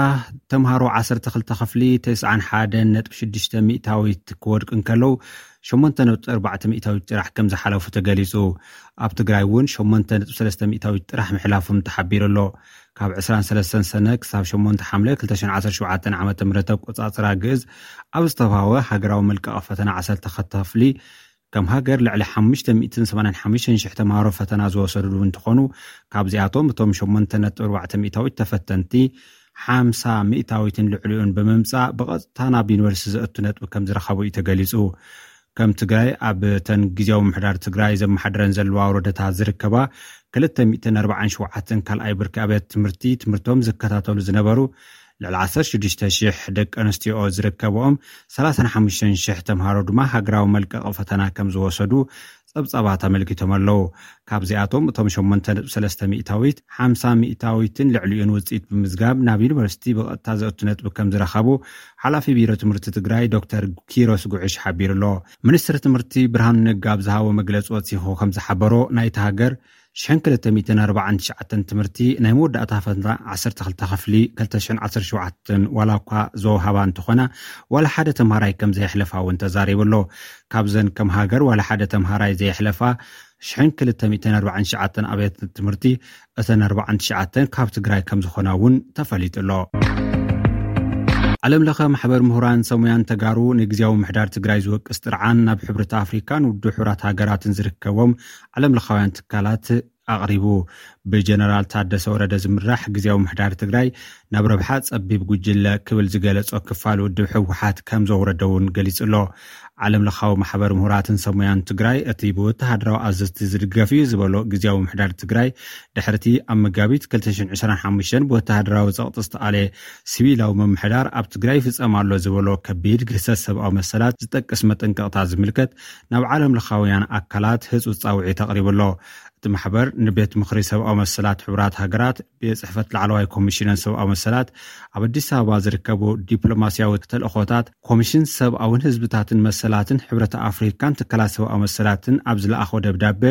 ተምሃሮ ዓሰርተ ክልተ ክፍሊ ተስዓን ሓደን ነጥቢ ሽዱሽተ ሚእታዊት ክወድቁ እንከለዉ ሸሞንተ ነጥቢ ኣርባዕተ ሚእታዊት ጥራሕ ከም ዝሓለፉ ተገሊጹ። ኣብ ትግራይ እውን ሸሞንተ ነጥቢ ሰለስተ ሚእታዊት ጥራሕ ምሕላፎም ተሓቢሩ ኣሎ። ካብ ዕስራን ሰለስተን ሰነ ክሳብ ሸሞንተ ሓምለ ክልተ ሽሕን ዓሰርተ ሸውዓተን ዓመተ ምህረት ኣቆጻጽራ ግእዝ ኣብ ዝተባህወ ሃገራዊ መልቀቂ ፈተና ዓሰርተ ክልተ ክፍሊ ከም ሃገር ልዕሊ ሓሙሽተ ሚእትን ሰማንያን ሓሙሽተን ሽሕ ተምሃሮ ፈተና ዝወሰዱ እንትኾኑ፣ ካብዚኣቶም እቶም ሸሞንተ ነጥቢ ኣርባዕተ ሚእታዊት ተፈተንቲ ሓምሳ ሚእታዊትን ልዕሊኡን ብምምጻእ ብቐጥታ ናብ ዩኒቨርሲቲ ዘእቱ ነጥቢ ከም ዝረኸቡ እዩ ተገሊጹ። ከም ትግራይ ኣብ ተን ግዜያዊ ምምሕዳር ትግራይ ዘመሓድረን ዘለዋ ወረዳታት ዝርከባ ክልተ ሚእትን ኣርባዓን ሸውዓተን ካልኣይ ብርኪ ኣብያተ ትምህርቲ ትምህርቶም ዝከታተሉ ዝነበሩ ልዕሊ ዓሰርተ ሽዱሽተ ሽሕ ደቂ ኣንስትዮ ዝርከብኦም ሰላሳን ሓሙሽተን ሽሕ ተምሃሮ ድማ ሃገራዊ መልቀቂ ፈተና ከም ዝወሰዱ ጸብጻባት ኣመልኪቶም ኣለዉ። ካብዚኣቶም እቶም ሸሞንተ ነጥቢ ሰለስተ ሚእታዊት፣ ሓምሳ ሚእታዊትን ልዕሊኡን ውፅኢት ብምዝጋብ ናብ ዩኒቨርሲቲ ብቐጥታ ዘእቱ ነጥቢ ከም ዝረኸቡ ሓላፊ ቢሮ ትምህርቲ ትግራይ ዶክተር ኪሮስ ጉዕሽ ሓቢሩ ኣሎ። ሚኒስትሪ ትምህርቲ ብርሃኑ ነጋ ኣብ ዝሃቦ መግለፂ ወሲኹ ከም ዝሓበሮ፣ ናይቲ ሃገር ሽሕን ክልተ ሚእትን ኣርባዓን ትሽዓተን ትምህርቲ ናይ መወዳእታ ፈተና ዓሰርተ ክልተ ክፍሊ ክልተ ሽሕን ዓሰርተ ሸውዓተን ዋላ እኳ ዘወሃባ እንተኾና፣ ዋላ ሓደ ተምሃራይ ከም ዘየሕለፋ እውን ተዛሪቡ ኣሎ። ካብዘን ከም ሃገር ዋላ ሓደ ተምሃራይ ዘየሕለፋ ሽሕን ክልተ ሚእትን ኣርባዓን ትሽዓተን ኣብያተ ትምህርቲ፣ እተን ኣርባዓን ትሽዓተን ካብ ትግራይ ከም ዝኾና እውን ተፈሊጡ ኣሎ። ዓለም ለኸ ማሕበር ምሁራን ሰብ ሞያን ተጋሩ ንግዜያዊ ምሕዳር ትግራይ ዝወቅስ ጥርዓን ናብ ሕብረት ኣፍሪካን ውድብ ሕቡራት ሃገራትን ዝርከቦም ዓለም ለኻውያን ትካላት ኣቕሪቡ። ብጀነራል ታደሰ ወረደ ዝምራሕ ግዜያዊ ምሕዳር ትግራይ ናብ ረብሓ ጸቢብ ጉጅለ ክብል ዝገለጾ ክፋል ውድብ ህወሓት ከም ዘውረደ እውን ገሊጹ ኣሎ። ዓለም ለኻዊ ማሕበር ምሁራትን ሰብ ሞያን ትግራይ፣ እቲ ብወተሃደራዊ ኣዘዝቲ ዝድገፍ እዩ ዝበሎ ግዜያዊ ምሕዳር ትግራይ፣ ድሕርቲ ኣብ መጋቢት ክልተ ሽሕን ዕስራን ሓሙሽተን ብወተሃደራዊ ጸቕጢ ዝተኣለ ሲቪላዊ ምምሕዳር ኣብ ትግራይ ይፍጸም ኣሎ ዝበሎ ከቢድ ግህሰት ሰብኣዊ መሰላት ዝጠቅስ መጠንቀቕታ ዝምልከት ናብ ዓለም ለኻውያን ኣካላት ህጹጽ ጻውዒት ኣቕሪቡ ኣሎ። እቲ ማሕበር ንቤት ምኽሪ ሰብኣዊ መሰላት ሕቡራት ሃገራት፣ ቤት ጽሕፈት ላዕለዋይ ኮሚሽነር ሰብኣዊ መሰላት፣ ኣብ ኣዲስ ኣበባ ዝርከቡ ዲፕሎማስያዊ ተልእኾታት፣ ኮሚሽን ሰብኣውን ህዝብታትን መሰላትን ሕብረት ኣፍሪካን ትካላት ሰብኣዊ መሰላትን ኣብ ዝለኣኾ ደብዳበ፣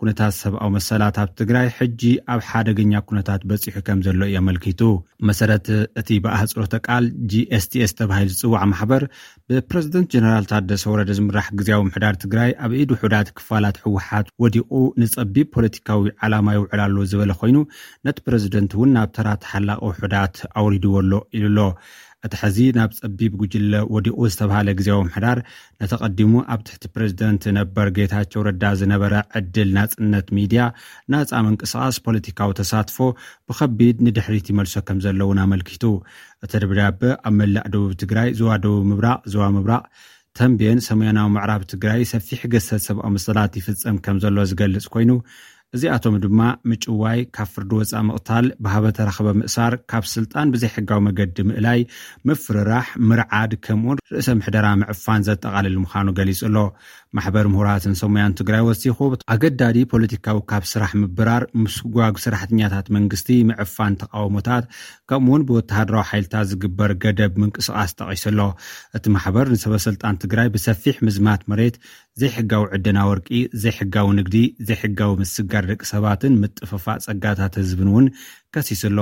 ኩነታት ሰብኣዊ መሰላት ኣብ ትግራይ ሕጂ ኣብ ሓደገኛ ኩነታት በፂሑ ከም ዘሎ እዩ ኣመልኪቱ። መሰረት እቲ ብኣህፅሮተ ቃል ጂ ኤስ ቲ ኤስ ተባሂሉ ዝፅዋዕ ማሕበር፣ ብፕረዚደንት ጀነራል ታደሰ ወረደ ዝምራሕ ግዜያዊ ምሕዳር ትግራይ ኣብ ኢድ ውሑዳት ክፋላት ህወሓት ወዲቑ ንፀቢብ ፖለቲካዊ ዓላማ ይውዕል ኣሎ ዝበለ ኮይኑ፣ ነቲ ፕረዚደንት እውን ናብ ተራ ተሓላቒ ውሑዳት ኣውሪድዎ ኣሎ ኢሉ ኣሎ። እቲ ሕዚ ናብ ጸቢብ ጉጅለ ወዲቑ ዝተባህለ ግዜያዊ ምሕዳር፣ ነቲ ቀዲሙ ኣብ ትሕቲ ፕረዚደንት ነበር ጌታቸው ረዳ ዝነበረ ዕድል ናጽነት ሚድያ፣ ናጻ ምንቅስቓስ፣ ፖለቲካዊ ተሳትፎ ብኸቢድ ንድሕሪት ይመልሶ ከም ዘሎ እውን ኣመልኪቱ። እቲ ደብዳበ ኣብ መላእ ደቡብ ትግራይ፣ ዞባ ደቡብ ምብራቕ፣ ዞባ ምብራቕ ተምቤን፣ ሰሜናዊ ምዕራብ ትግራይ ሰፊሕ ገሰት ሰብኣዊ መሰላት ይፍጸም ከም ዘሎ ዝገልጽ ኮይኑ፣ እዚኣቶም ድማ ምጭዋይ፣ ካብ ፍርዲ ወጻኢ ምቕታል፣ ብሃበ ተረኽበ ምእሳር፣ ካብ ስልጣን ብዘይሕጋዊ መገዲ ምእላይ፣ ምፍርራሕ፣ ምርዓድ፣ ከምኡውን ርእሰ ምሕደራ ምዕፋን ዘጠቓልል ምዃኑ ገሊጹ ኣሎ። ማሕበር ምሁራትን ሰሙያን ትግራይ ወሲኹ፣ ኣገዳዲ ፖለቲካዊ ካብ ስራሕ ምብራር፣ ምስጓግ ሰራሕተኛታት መንግስቲ፣ ምዕፋን ተቃውሞታት፣ ከምኡውን ብወተሃደራዊ ሓይልታት ዝግበር ገደብ ምንቅስቓስ ጠቒሱ ኣሎ። እቲ ማሕበር ንሰበ ስልጣን ትግራይ ብሰፊሕ ምዝማት መሬት፣ ዘይሕጋዊ ዕደና ወርቂ፣ ዘይሕጋዊ ንግዲ፣ ዘይሕጋዊ ምስጋር ደቂ ሰባትን ምጥፍፋእ ጸጋታት ህዝብን እውን ከሲሱ ኣሎ።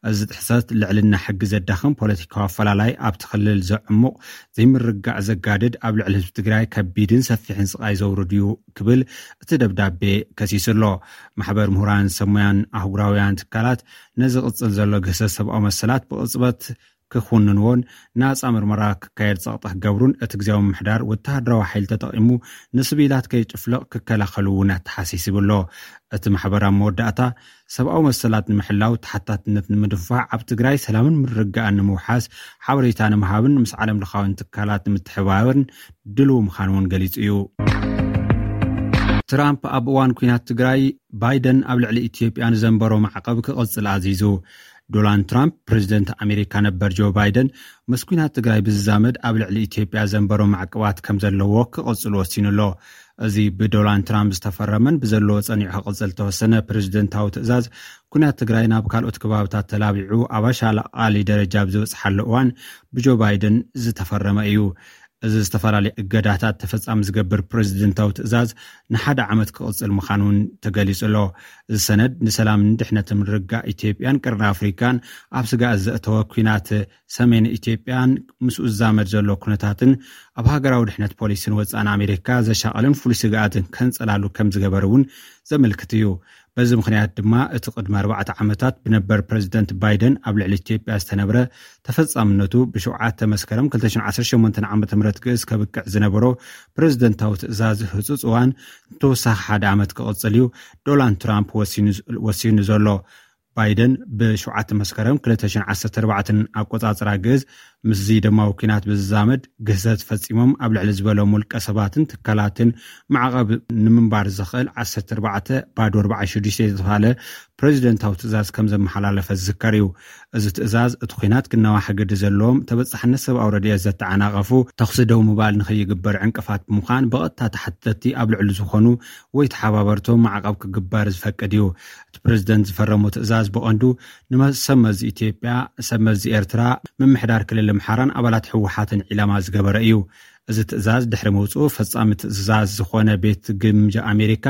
እዚ ጥሕሰት ልዕልና ሕጊ ዘዳኽም፣ ፖለቲካዊ ኣፈላላይ ኣብቲ ክልል ዘዕሙቕ፣ ዘይምርግጋእ ዘጋድድ፣ ኣብ ልዕሊ ህዝቢ ትግራይ ከቢድን ሰፊሕን ስቓይ ዘውርድ እዩ ክብል እቲ ደብዳቤ ከሲሱ ኣሎ። ማሕበር ምሁራን ሰሙያን ኣህጉራውያን ትካላት ነዚ ቅጽል ዘሎ ግህሰት ሰብኣዊ መሰላት ብቕጽበት ክኹንንዎን ናጻ ምርመራ ክካየድ ጸቕጢ ክገብሩን እቲ ግዜያዊ ምምሕዳር ወተሃደራዊ ሓይሊ ተጠቒሙ ንስቪላት ከይጭፍልቕ ክከላኸሉ እውን ኣተሓሳሲቡ ኣሎ። እቲ ማሕበር ኣብ መወዳእታ፣ ሰብኣዊ መሰላት ንምሕላው ተሓታትነት ንምድንፋዕ፣ ኣብ ትግራይ ሰላምን ምርግጋእን ንምውሓስ ሓበሬታ ንምሃብን ምስ ዓለም ለኻውያን ትካላት ንምትሕባበርን ድልው ምዃኑ እውን ገሊጹ እዩ። ትራምፕ ኣብ እዋን ኲናት ትግራይ፣ ባይደን ኣብ ልዕሊ ኢትዮጵያ ንዘንበሮ ማዕቐብ ክቕጽል ኣዚዙ። ዶናልድ ትራምፕ፣ ፕረዚደንት ኣሜሪካ ነበር ጆ ባይደን፣ ምስ ኲናት ትግራይ ብዝዛመድ ኣብ ልዕሊ ኢትዮጵያ ዘንበሮ ማዕቀባት ከም ዘለዎ ክቕጽል ወሲኑ ኣሎ። እዚ ብዶናልድ ትራምፕ ዝተፈረመን ብዘለዎ ጸኒዑ ክቕጽል ዝተወሰነ ፕረዚደንታዊ ትእዛዝ፣ ኲናት ትግራይ ናብ ካልኦት ከባብታት ተላቢዑ፣ ኣብ ኣሻቓሊ ደረጃ ኣብ ዝበጽሓሉ እዋን ብጆ ባይደን ዝተፈረመ እዩ። እዚ ዝተፈላለዩ እገዳታት ተፈጻሚ ዝገብር ፕረዚደንታዊ ትእዛዝ ንሓደ ዓመት ክቕጽል ምዃኑ እውን ተገሊጹ ኣሎ። እዚ ሰነድ ንሰላምን ድሕነትን ምርግጋእ ኢትዮጵያን ቀርኒ ኣፍሪካን ኣብ ስጋኣት ዘእተወ፣ ኲናት ሰሜን ኢትዮጵያን ምስኡ ዝዛመድ ዘሎ ኩነታትን ኣብ ሃገራዊ ድሕነት ፖሊሲን ወጻእን ኣሜሪካ ዘሻቐልን ፍሉይ ስግኣትን ከንጸላሉ ከም ዝገበር እውን ዘመልክት እዩ። በዚ ምኽንያት ድማ እቲ ቅድሚ ኣርባዕተ ዓመታት ብነበር ፕረዚደንት ባይደን ኣብ ልዕሊ ኢትዮጵያ ዝተነብረ ተፈጻምነቱ ብሸውዓተ መስከረም ክልተ ሽሕን ዓሰርተ ሸሞንተን ዓመተ ምህረት ግእዝ ከብቅዕ ዝነበሮ ፕረዚደንታዊ ትእዛዝ ህጹጽ እዋን ንተወሳኺ ሓደ ዓመት ክቕጽል እዩ ዶናልድ ትራምፕ ወሲኑ፣ ወሲኑ ዘሎ። ባይደን ብሸውዓተ መስከረም ክልተ ሽሕን ዓሰርተ ኣርባዕተን ኣቆጻጽራ ግእዝ ምስዚ ደማዊ ኲናት ብዝዛመድ ግህሰት ፈጺሞም ኣብ ልዕሊ ዝበሎም ውልቀ ሰባትን ትካላትን ማዕቐብ ንምንባር ዘኽእል ዓሰርተ ኣርባዕተ ባዶ ኣርባዓ ሽዱሽተ ዝተባህለ ፕሬዚደንታዊ ትእዛዝ ከም ዘመሓላለፈ ዝዝከር እዩ። እዚ ትእዛዝ እቲ ኲናት ክነዋሕ ግዲ ዘለዎም ተበጻሕነት ሰብኣዊ ረድኤት ዘተዓናቐፉ ተኹሲ ደው ምባል ንኸይግበር ዕንቅፋት ብምዃን ብቐጥታ ተሓተትቲ ኣብ ልዕሊ ዝኾኑ ወይ ተሓባበርቶም ማዕቐብ ክግበር ዝፈቅድ እዩ። እቲ ፕሬዚደንት ዝፈረሞ ትእዛዝ ብቐንዱ ንመ- ሰብ መዚ ኢትዮጵያ፣ ሰብ መዚ ኤርትራ፣ ምምሕዳር ክልል ኣምሓራን ኣባላት ህወሓትን ዒላማ ዝገበረ እዩ። እዚ ትእዛዝ ድሕሪ ምውፅኡ ፈጻሚ ትእዛዝ ዝኾነ ቤት ግምጃ ኣሜሪካ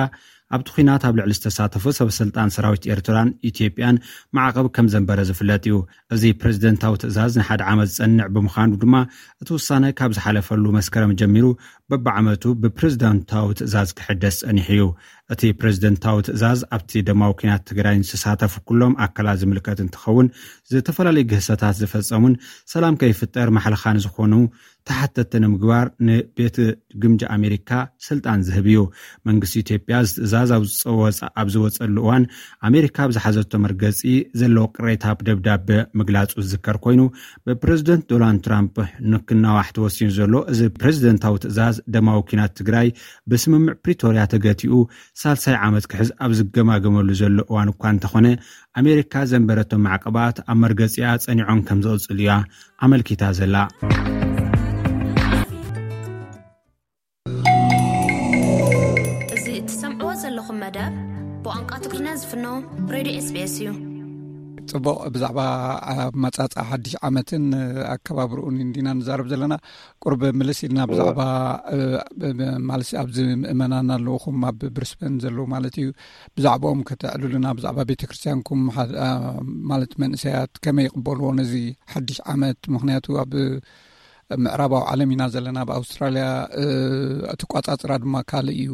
ኣብቲ ኲናት ኣብ ልዕሊ ዝተሳተፉ ሰበስልጣን ሰራዊት ኤርትራን ኢትዮጵያን ማዕቐብ ከም ዘንበረ ዝፍለጥ እዩ። እዚ ፕሬዝደንታዊ ትእዛዝ ንሓደ ዓመት ዝጸንዕ ብምዃኑ ድማ እቲ ውሳነ ካብ ዝሓለፈሉ መስከረም ጀሚሩ በብዓመቱ ብፕሬዝደንታዊ ትእዛዝ ክሕደስ ጸኒሑ እዩ። እቲ ፕሬዝደንታዊ ትእዛዝ ኣብቲ ደማዊ ኲናት ትግራይ ዝተሳተፉ ኩሎም ኣካላት ዝምልከት እንትኸውን፣ ዝተፈላለዩ ግህሰታት ዝፈጸሙን ሰላም ከይፍጠር ማሕለኻን ዝኾኑ ተሓተቲ ንምግባር ንቤት ግምጃ ኣሜሪካ ስልጣን ዝህብ እዩ። መንግስቲ ኢትዮጵያ እዚ ትእዛዝ ኣብ ዝፀወፀ- ኣብ ዝወፀሉ እዋን ኣሜሪካ ኣብ ዝሓዘቶ መርገፂ ዘለዎ ቅሬታ ብደብዳበ ምግላፁ ዝዝከር ኮይኑ፣ ብፕሬዝደንት ዶናልድ ትራምፕ ንክናዋሕ ተወሲኑ ዘሎ እዚ ፕሬዝደንታዊ ትእዛዝ ደማዊ ኲናት ትግራይ ብስምምዕ ፕሪቶርያ ተገቲኡ ሳልሳይ ዓመት ክሕዝ ኣብ ዝገማገመሉ ዘሎ እዋን እኳ እንተኾነ፣ ኣሜሪካ ዘንበረቶም ማዕቀባት ኣብ መርገፂኣ ፀኒዖም ከም ዝቕፅሉ እያ ኣመልኪታ ዘላ። እዚ እትሰምዕዎ ዘለኹም መደብ ብቋንቋ ትግርኛ ዝፍኖ ሬድዮ ኤስቢኤስ እዩ። ጽቡቕ። ብዛዕባ ኣመጻጽኣ ሓድሽ ዓመትን ኣከባብርኡን እንዲና ንዛረብ ዘለና። ቁርብ ምልስ ኢልና ብዛዕባ ማለት ኣብዚ ምእመናን ኣለውኹም ኣብ ብሪስበን ዘለዉ ማለት እዩ፣ ብዛዕባኦም ከተዕልሉና፣ ብዛዕባ ቤተክርስትያንኩም ማለት መንእሰያት ከመይ ይቕበልዎ ነዚ ሓድሽ ዓመት? ምኽንያቱ ኣብ ምዕራባዊ ዓለም ኢና ዘለና፣ ኣብ ኣውስትራልያ እቲ ቋጻጽራ ድማ ካልእ እዩ።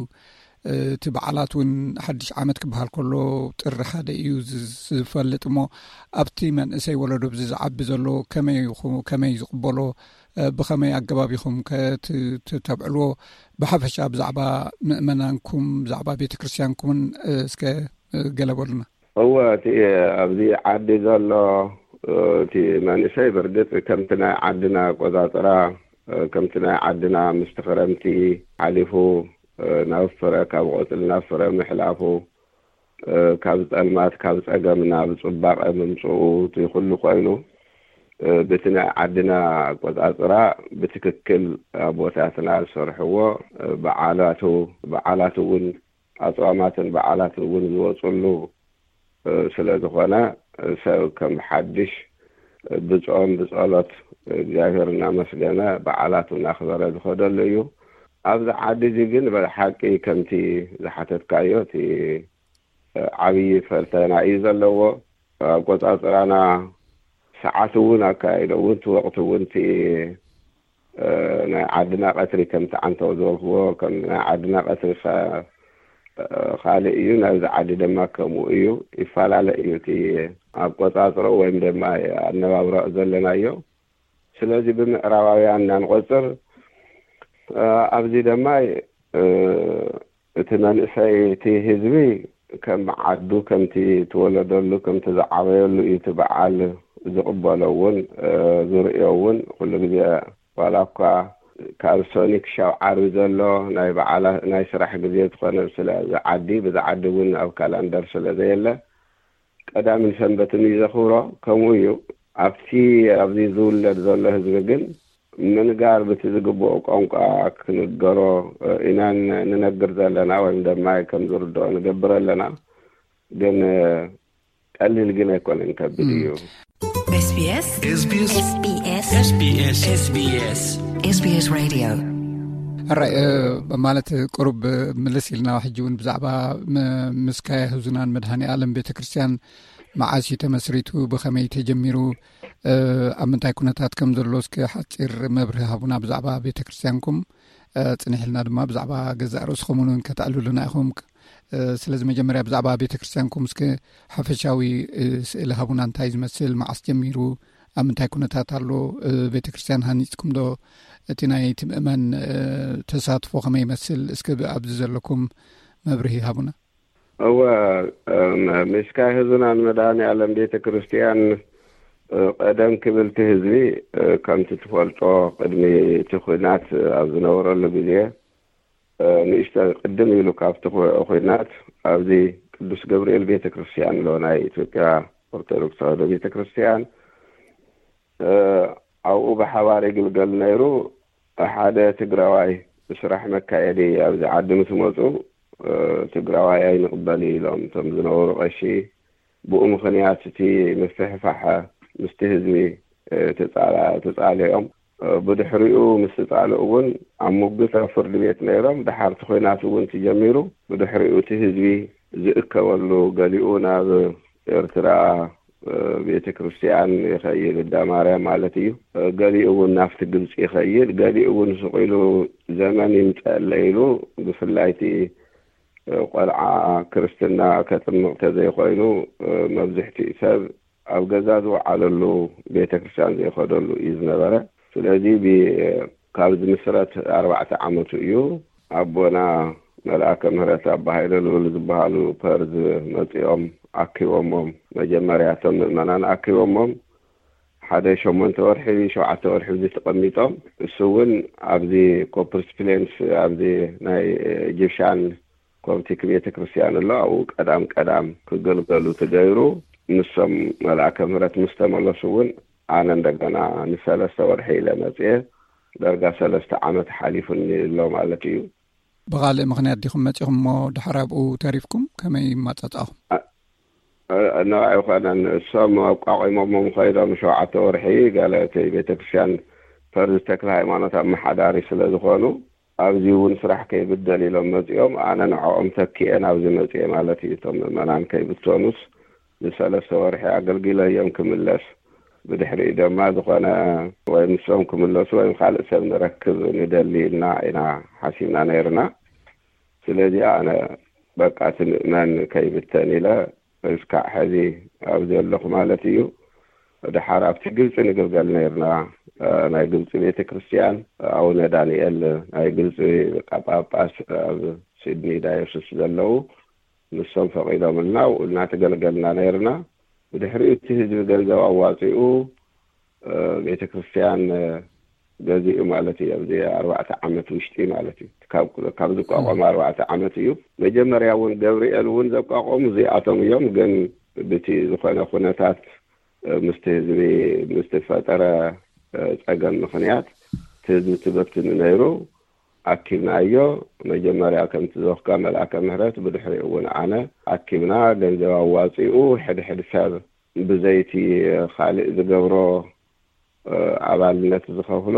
እቲ በዓላት እውን ሓድሽ ዓመት ክበሃል ከሎ ጥሪ ሓደ እዩ ዝፈልጥ እሞ፣ ኣብቲ መንእሰይ ወለዶ ብዚ ዝዓቢ ዘሎ ከመይ ዝቕበሎ፣ ብኸመይ ኣገባብ ኢኹም ከተብዕልዎ? ብሓፈሻ ብዛዕባ ምእመናንኩም፣ ብዛዕባ ቤተ ክርስትያንኩምን እስከ ገለ በሉና። እወ፣ እቲ ኣብዚ ዓዲ ዘሎ እቲ መንእሰይ ብርግጽ ከምቲ ናይ ዓድና ኣቆጻጽራ፣ ከምቲ ናይ ዓድና ምስቲ ክረምቲ ሓሊፉ ናብ ፍረ፣ ካብ ቆጽሊ ናብ ፍረ ምሕላፉ፣ ካብ ጸልማት ካብ ጸገም ናብ ጽባቐ ምምጽኡ፣ እቲ ኩሉ ኮይኑ ብቲ ናይ ዓድና ኣቆጻጽራ ብትክክል ኣቦታትና ዝሰርሕዎ በዓላቱ፣ በዓላት እውን ኣጽዋማትን በዓላትን እውን ዝወጽሉ ስለ ዝኾነ፣ ሰብ ከም ሓድሽ ብጾም ብጸሎት እግዚኣብሔር እናመስገነ በዓላቱ እናኽበረ ዝኸደሉ እዩ። ኣብዚ ዓዲ እዚ ግን ብሓቂ ከምቲ ዝሓተትካዮ እቲ ዓብዪ ፈተና እዩ ዘለዎ። ኣቆጻጽራና ሰዓት እውን ኣካይዶ እውን እቲ ወቕቲ እውን እቲ ናይ ዓድና ቀትሪ ከምቲ ዓንተው ዝበልክዎ ከም ናይ ዓድና ቀትሪ ካልእ እዩ፣ ናብዚ ዓዲ ድማ ከምኡ እዩ፣ ይፈላለ እዩ እቲ ኣቆጻጽሮ ወይም ድማ ኣነባብሮ ዘለናዮ። ስለዚ ብምዕራባውያን እናንቆጽር ኣብዚ ድማ እቲ መንእሰይ እቲ ህዝቢ ከም ዓዱ ከምቲ ትወለደሉ ከምቲ ዝዓበየሉ እዩ እቲ በዓል ዝቕበሎ እውን ዝርእዮ እውን ኩሉ ግዜ ዋላ እኳ ካብ ሶኒ ክሻብ ዓርቢ ዘሎ ናይ በዓላ ናይ ስራሕ ግዜ ዝኾነ ስለ ዝዓዲ ብዝዓዲ እውን ኣብ ካላንደር ስለ ዘየለ ቀዳምን ሰንበትን እዩ ዘኽብሮ። ከምኡ እዩ ኣብቲ ኣብዚ ዝውለድ ዘሎ ህዝቢ ግን ምንጋር ብቲ ዝግብኦ ቋንቋ ክንገሮ ኢና ንነግር ዘለና ወይም ድማ ከም ዝርድኦ ንገብር ኣለና። ግን ቀሊል ግን ኣይኮነን፣ ከቢድ እዩ። SBS SBS SBS SBS Radio ሕራይ ማለት ቁሩብ ምልስ ኢልና ሕጂ እውን ብዛዕባ ምስካየ ህዙናን መድሃኒ ኣለም ቤተ ክርስትያን መዓስ እዩ ተመስሪቱ፣ ብኸመይ ተጀሚሩ፣ ኣብ ምንታይ ኩነታት ከም ዘሎ እስኪ ሓፂር መብርሂ ሃቡና ብዛዕባ ቤተ ክርስትያንኩም። ፅንሕ ኢልና ድማ ብዛዕባ ገዛእ ርእስኹም እውን ከተዕልሉና ኢኹም። ስለዚ መጀመርያ ብዛዕባ ቤተ ክርስትያንኩም እስኪ ሓፈሻዊ ስእሊ ሃቡና። እንታይ ዝመስል፣ መዓስ ጀሚሩ፣ ኣብ ምንታይ ኩነታት ኣሎ፣ ቤተ ክርስትያን ሃኒፅኩም ዶ፣ እቲ ናይ እቲ ምእመን ተሳትፎ ከመይ ይመስል፣ እስኪ ኣብዚ ዘለኩም መብርሂ ሃቡና። እወ፣ ምስካየ ህዙናን መድሃኒ ኣለም ቤተ ክርስትያን ቀደም ክብል እቲ ህዝቢ ከምቲ ትፈልጦ ቅድሚ እቲ ኲናት ኣብ ዝነበረሉ ግዜ ንእሽተ ቅድም ኢሉ ካብቲ ኲናት ኣብዚ ቅዱስ ገብርኤል ቤተ ክርስቲያን ኣሎ፣ ናይ ኢትዮጵያ ኦርቶዶክስ ተዋህዶ ቤተ ክርስቲያን፣ ኣብኡ ብሓባር ይግልገል ነይሩ። ሓደ ትግራዋይ ስራሕ መካየዲ ኣብዚ ዓዲ ምስ መፁ ትግራዋይ ኣይንቕበል ኢሎም እቶም ዝነበሩ ቀሺ። ብኡ ምኽንያት እቲ ምፍሕፋሕ ምስቲ ህዝቢ ተፃልኦም። ብድሕሪኡ ምስ ተፃልኡ እውን ኣብ ሙግት ኣብ ፍርዲ ቤት ነይሮም። ድሓር እቲ ኲናት እውን ተጀሚሩ። ብድሕሪኡ እቲ ህዝቢ ዝእከበሉ፣ ገሊኡ ናብ ኤርትራ ቤተ ክርስቲያን ይኸይድ፣ እንዳ ማርያም ማለት እዩ። ገሊኡ እውን ናብቲ ግብፂ ይኸይድ፣ ገሊኡ እውን ስቕ ኢሉ ዘመን ይምፀአለ ኢሉ፣ ብፍላይ እቲ ቆልዓ ክርስትና ከጥምቕ ተዘይኮይኑ መብዝሕትኡ ሰብ ኣብ ገዛ ዝወዓለሉ፣ ቤተ ክርስቲያን ዘይኸደሉ እዩ ዝነበረ። ስለዚ ብ-፣ ካብ ዝምስረት ኣርባዕተ ዓመቱ እዩ። ኣቦና መልኣከ ምህረት ኣባ ሃይለ ልዑል ዝበሃሉ ፐርዝ መፂኦም ኣኪቦሞም። መጀመርያ እቶም ምእመናን ኣኪቦሞም ሓደ ሸሞንተ ወርሒ፣ ሸውዓተ ወርሒ እዚ ተቐሚጦም፣ እሱ እውን ኣብዚ ኮፕርስ ፕሌንስ ኣብዚ ናይ ኢጅፕሻን ኮፕቲክ ቤተ ክርስቲያን ኣሎ፣ ኣብኡ ቀዳም ቀዳም ክገልገሉ ተገይሩ። ንሶም መልኣከ ምህረት ምስ ተመለሱ እውን ኣነ እንደገና ንሰለስተ ወርሒ ኢለ መፅየ። ዳርጋ ሰለስተ ዓመት ሓሊፉኒ ኣሎ ማለት እዩ። ብኻልእ ምኽንያት ዲኹም መፂኹም እሞ ድሓር ኣብኡ ተሪፍኩም? ከመይ ይማፃፃኹም? እ-፣ እ-፣ ንዕ ኣይኮነን። እሶም ኣቋቒሞሞም ኸይዶም ሸውዓተ ወርሒ ገለ እቲ ቤተክርስትያን ፐርዝ ተክለ ሃይማኖት ኣመሓዳሪ ስለ ዝኾኑ፣ ኣብዚ እውን ስራሕ ከይብደል ኢሎም መፂኦም። ኣነ ንዕኦም ተኪኤ ናብዚ መፂኤ ማለት እዩ። እቶም ምእመናን ከይብተኑስ ንሰለስተ ወርሒ ኣገልጊለዮም ክምለስ። ብድሕሪኡ ድማ ዝኾነ ወይ ንሶም ክምለሱ ወይ ካልእ ሰብ ንረክብ ንደሊ ኢልና ኢና ሓሲብና ነይርና። ስለዚ ኣነ በቃ እቲ ምእመን ከይብተን ኢለ እስካዕ ሕዚ ኣብዚ ኣለኹ ማለት እዩ። ድሓር ኣብቲ ግብፂ ንግልገል ነይርና። እ፣ ናይ ግብፂ ቤተ ክርስቲያን ኣቡነ ዳንኤል ናይ ግብፂ ሊቀ ጳጳስ ኣብ ሲድኒ ዳዮስስ ዘለዉ ንሶም ፈቒዶምልና፣ ኣብኡ እናተገልገልና ነይርና። ብድሕሪኡ እቲ ህዝቢ ገንዘብ ኣዋፂኡ፣ እ፣ ቤተ ክርስቲያን፣ እ፣ ገዚኡ ማለት እዩ። ኣብዚ ኣርባዕተ ዓመት ውሽጢ ማለት እዩ። ካብ፣ ካብ ዝቋቋም ኣርባዕተ ዓመት እዩ። መጀመርያ እውን ገብርኤል እውን ዘቋቋሙ እዚኣቶም እዮም። ግን ብቲ ዝኾነ ኩነታት፣ እ፣ ምስቲ ህዝቢ፣ ምስ ተፈጠረ፣ እ፣ ጸገም ምኽንያት እቲ ህዝቢ ተበቲኑ ነይሩ። ኣኪብናዮ። መጀመርያ ከምቲ ዘኽካ መልኣከ ምህረት፣ ብድሕሪኡ እውን ኣነ ኣኪብና። ገንዘብ ኣዋፂኡ ሕድሕድ ሰብ ብዘይቲ ካልእ ዝገብሮ፣ እ፣ ኣባልነት ዝኸፍሎ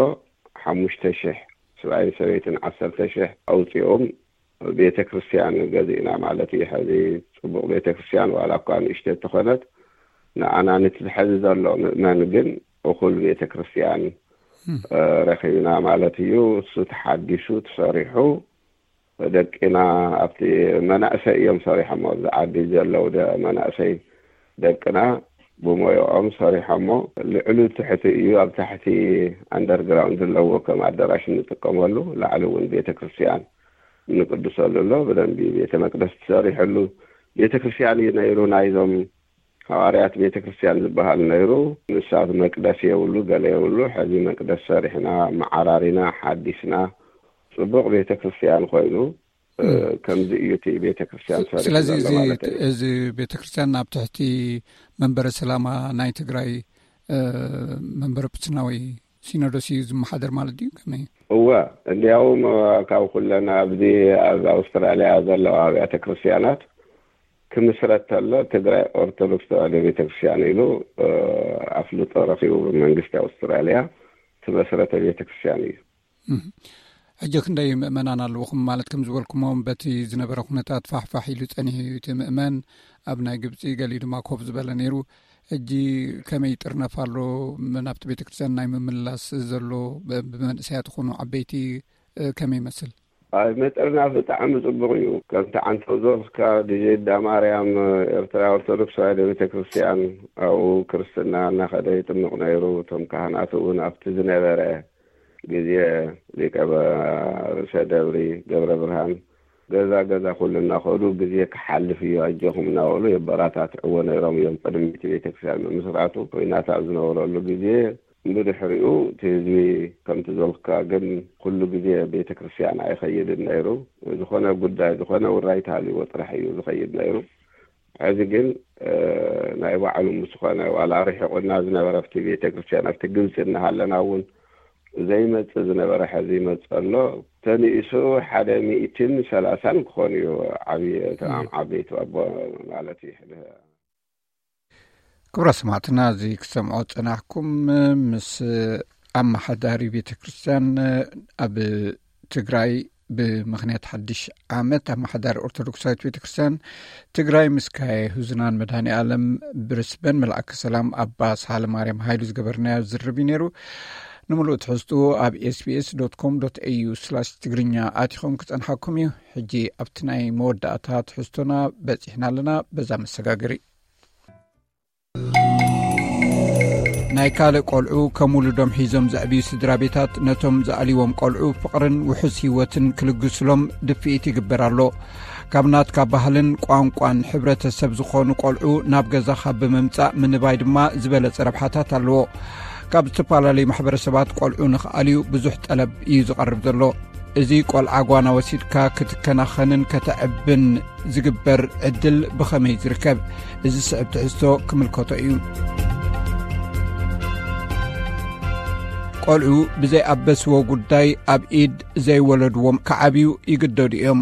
ሓሙሽተ ሽሕ፣ ሰብኣይን ሰበይትን ዓሰርተ ሽሕ ኣውፂኦም ቤተ ክርስቲያን ገዚእና ማለት እዩ። ሕዚ ፅቡቕ ቤተ ክርስቲያን ዋላ እኳ ንእሽተይ ተኾነት፣ ንኣና ነቲ ሕዚ ዘሎ ምእመን ግን እኹል ቤተ ክርስቲያን፣ እም። እ፣ ረኺብና ማለት እዩ። እሱ ተሓዲሱ ተሰሪሑ፣ ደቂና ኣብቲ መናእሰይ እዮም ሰሪሖሞ። ኣብዚ ዓዲ ዘለዉ ደ-፣ መናእሰይ ደቅና ብሞያኦም ሰሪሖሞ። ልዕሉ ትሕቲ እዩ። ኣብ ታሕቲ ኣንደርግራውንድ ኣለዎ፣ ከም ኣዳራሽ እንጥቀመሉ። ላዕሊ እውን ቤተ ክርስቲያን እንቅድሰሉ ኣሎ። ብደንቢ ቤተ መቅደስ ተሰሪሐሉ ቤተ ክርስቲያን እዩ ነይሩ። ናይዞም ሃዋርያት ቤተ ክርስቲያን ዝበሃል ነይሩ። ንሳት መቅደስ የብሉ፣ ገለ የብሉ። ሕዚ መቅደስ ሰሪሕና፣ መዓራሪና፣ ሓዲስና፣ ጽቡቕ ቤተ ክርስቲያን ኮይኑ፣ እ፣ እም። ከምዚ እዩ እቲ ቤተ ክርስቲያን ስ-፣ ሰሪሑ ስለዚ ዘሎ እዚ፣ ማለት እዩ። እዚ ቤተ ክርስቲያን ኣብ ትሕቲ መንበረ ሰላማ ናይ ትግራይ፣ እ፣ መንበረ ፕትና ወይ ሲኖዶስ እዩ ዝመሓደር ማለት ድዩ? ከመይ? እወ፣ እንዲያውም፣ እ፣ ካብ ኩለን ኣብዚ ኣብ ኣውስትራልያ ዘለዋ ኣብያተ ክርስቲያናት ክምስረት ተሎ ትግራይ ኦርቶዶክስ ተዋህዶ ቤተ ክርስቲያን ኢሉ፣ እ፣ ኣፍልጦ ረኺቡ ብመንግስቲ ኣውስትራልያ ትመስረተ ቤተ ክርስቲያን እዩ። እህ። ሕጂ ክንደይ ምእመናን ኣለውኹም? ማለት ከም ዝበልኩሞ በቲ ዝነበረ ኩነታት ፋሕፋሕ ኢሉ ጸኒሑ እዩ እቲ ምእመን። ኣብ ናይ ግብጺ ገሊኡ ድማ ኮፍ ዝበለ ነይሩ። ሕጂ ከመይ ይጥርነፍ ኣሎ? ም-፣ ናብቲ ቤተ ክርስቲያን ናይ ምምላስ ዘሎ ብ-፣ ብመንእሰያት ይኹኑ ዓበይቲ፣ እ፣ ከመይ ይመስል? ኣይ፣ ምጥርናፍ ብጣዕሚ ጽቡቕ እዩ። ከምቲ ዓንተው ዞርካ ዲጄ እንዳ ማርያም ኤርትራ ኦርቶዶክስ ተዋህዶ ቤተ ክርስቲያን ኣብኡ ክርስትና እናኸደ ይጥምቕ ነይሩ። እቶም ካህናት እውን ኣብቲ ዝነበረ ግዜ ሊቀ በ-፣ ርእሰ ደብሪ ገብረ ብርሃን ገዛ ገዛ ኩሉ እናኸዱ ግዜ ክሓልፍ እዩ ኣጆኹም እናበሉ የበራታትዕዎ ነይሮም እዮም። ቅድሚ እቲ ቤተክርስትያን ምምስራቱ ኮይናት ኣብ ዝነበረሉ ግዜ ብድሕሪኡ እቲ ህዝቢ ከምቲ ዘልካ ግን ኩሉ ግዜ ቤተክርስትያን ኣይኸይድን ነይሩ። ዝኾነ ጉዳይ ዝኾነ ውራይ ተሃልዎ ጥራሕ እዩ ዝኸይድ ነይሩ። ሕዚ ግን ናይ ባዕሉ ምስ ዝኾነ ዋላ ርሒቑና ዝነበረ ኣብቲ ቤተክርስትያን ኣብቲ ግብፂ እናሃለና እውን ዘይመፅእ ዝነበረ ሕዚ ይመፅእ ኣሎ። ተንኢሱ ሓደ ሚእትን ሰላሳን ክኾኑ እዩ። ዓብዪ እቶም ዓበይቲ ኣቦ ማለት እዩ። ክብረ ሰማዕትና እዚ ክሰምዖ ፀናሕኩም ምስ ኣመሓዳሪ ቤተክርስትያን ኣብ ትግራይ ብምኽንያት ሓድሽ ዓመት ኣመሓዳሪ ኦርቶዶክሳዊት ቤተክርስትያን ትግራይ ምስ ካየ ህዙናን መድሃኒ ኣለም ብርስበን መልኣከ ሰላም ኣባ ሳህለ ማርያም ሃይሉ ዝገበርናዮ ዝርብ እዩ ነይሩ። ንምሉእ ትሕዝቱ ኣብ ኤስቢኤስ ኮም ኤዩ ትግርኛ ኣቲኹም ክፀንሓኩም እዩ። ሕጂ ኣብቲ ናይ መወዳእታ ትሕዝቶና በፂሕና ኣለና። በዛ መሰጋገሪ ናይ ካልእ ቆልዑ ከም ውሉዶም ሒዞም ዘዕብዩ ስድራ ቤታት ነቶም ዝኣልይዎም ቆልዑ ፍቕርን ውሑስ ህይወትን ክልግስሎም ድፍኢት ይግበር ኣሎ። ካብ ናትካ ባህልን ቋንቋን ሕብረተሰብ ዝኾኑ ቆልዑ ናብ ገዛኻ ብምምጻእ ምንባይ ድማ ዝበለጸ ረብሓታት ኣለዎ። ካብ ዝተፈላለዩ ማሕበረሰባት ቆልዑ ንኽኣልዩ ብዙሕ ጠለብ እዩ ዝቐርብ ዘሎ። እዚ ቆልዓ ጓና ወሲድካ ክትከናኸንን ከተዕብን ዝግበር ዕድል ብኸመይ ዝርከብ? እዚ ስዕብ ትሕዝቶ ክምልከቶ እዩ። ቆልዑ ብዘይኣበስዎ ጉዳይ ኣብ ኢድ ዘይወለድዎም ክዓብዩ ይግደዱ እዮም።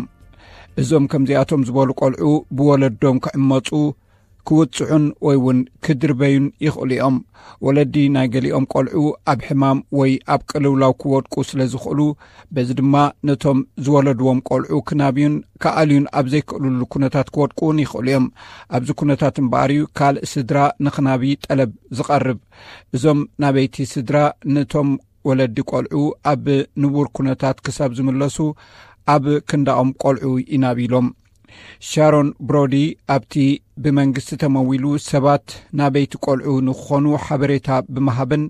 እዞም ከምዚኣቶም ዝበሉ ቆልዑ ብወለዶም ክዕመፁ፣ ክውፅዑን ወይ እውን ክድርበዩን ይኽእሉ እዮም። ወለዲ ናይ ገሊኦም ቆልዑ ኣብ ሕማም ወይ ኣብ ቅልውላው ክወድቁ ስለ ዝኽእሉ፣ በዚ ድማ ነቶም ዝወለድዎም ቆልዑ ክናብዩን ክኣልዩን ኣብ ዘይክእልሉ ኩነታት ክወድቁ እውን ይኽእሉ እዮም። ኣብዚ ኩነታት እምበኣር እዩ ካልእ ስድራ ንኽናቢ ጠለብ ዝቐርብ። እዞም ናበይቲ ስድራ ነቶም ወለዲ ቆልዑ ኣብ ንቡር ኩነታት ክሳብ ዝምለሱ ኣብ ክንዳኦም ቆልዑ ይናብይሎም። ሻሮን ብሮዲ ኣብቲ ብመንግስቲ ተመዊሉ ሰባት ናበይቲ ቆልዑ ንክኾኑ ሓበሬታ ብምሃብን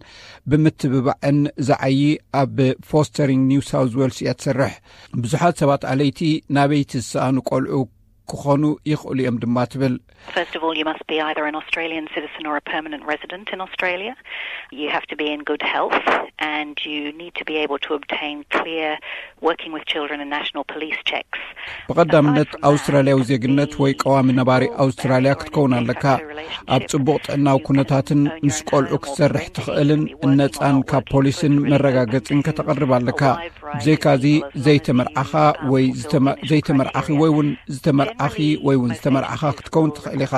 ብምትብባዕን ዝዓዪ ኣብ ፎስተሪንግ ኒው ሳውዝ ዌልስ እያ ትሰርሕ። ብዙሓት ሰባት ኣለይቲ ናበይቲ ዝሰኣኑ ቆልዑ ክኾኑ ይኽእሉ እዮም ድማ ትብል። First of all, you must be either an Australian citizen or a permanent resident in Australia. You have to be in good health and you need to be able to obtain clear working with children and national police checks. ብቐዳምነት ኣውስትራልያዊ ዜግነት ወይ ቀዋሚ ነባሪ ኣውስትራልያ ክትከውን ኣለካ። ኣብ ጽቡቕ ጥዕናዊ ኩነታትን ምስ ቆልዑ ክትሰርሕ ትኽእልን ነጻን ካብ ፖሊስን መረጋገጽን ከተቕርብ ኣለካ። ብዘይካዚ ዘይተመርዓኻ ወይ ዘይተመርዓኺ ወይ እውን ዝተመርዓኺ ወይ እውን ዝተመርዓኻ ክትከውን ትኽእል ኢኻ።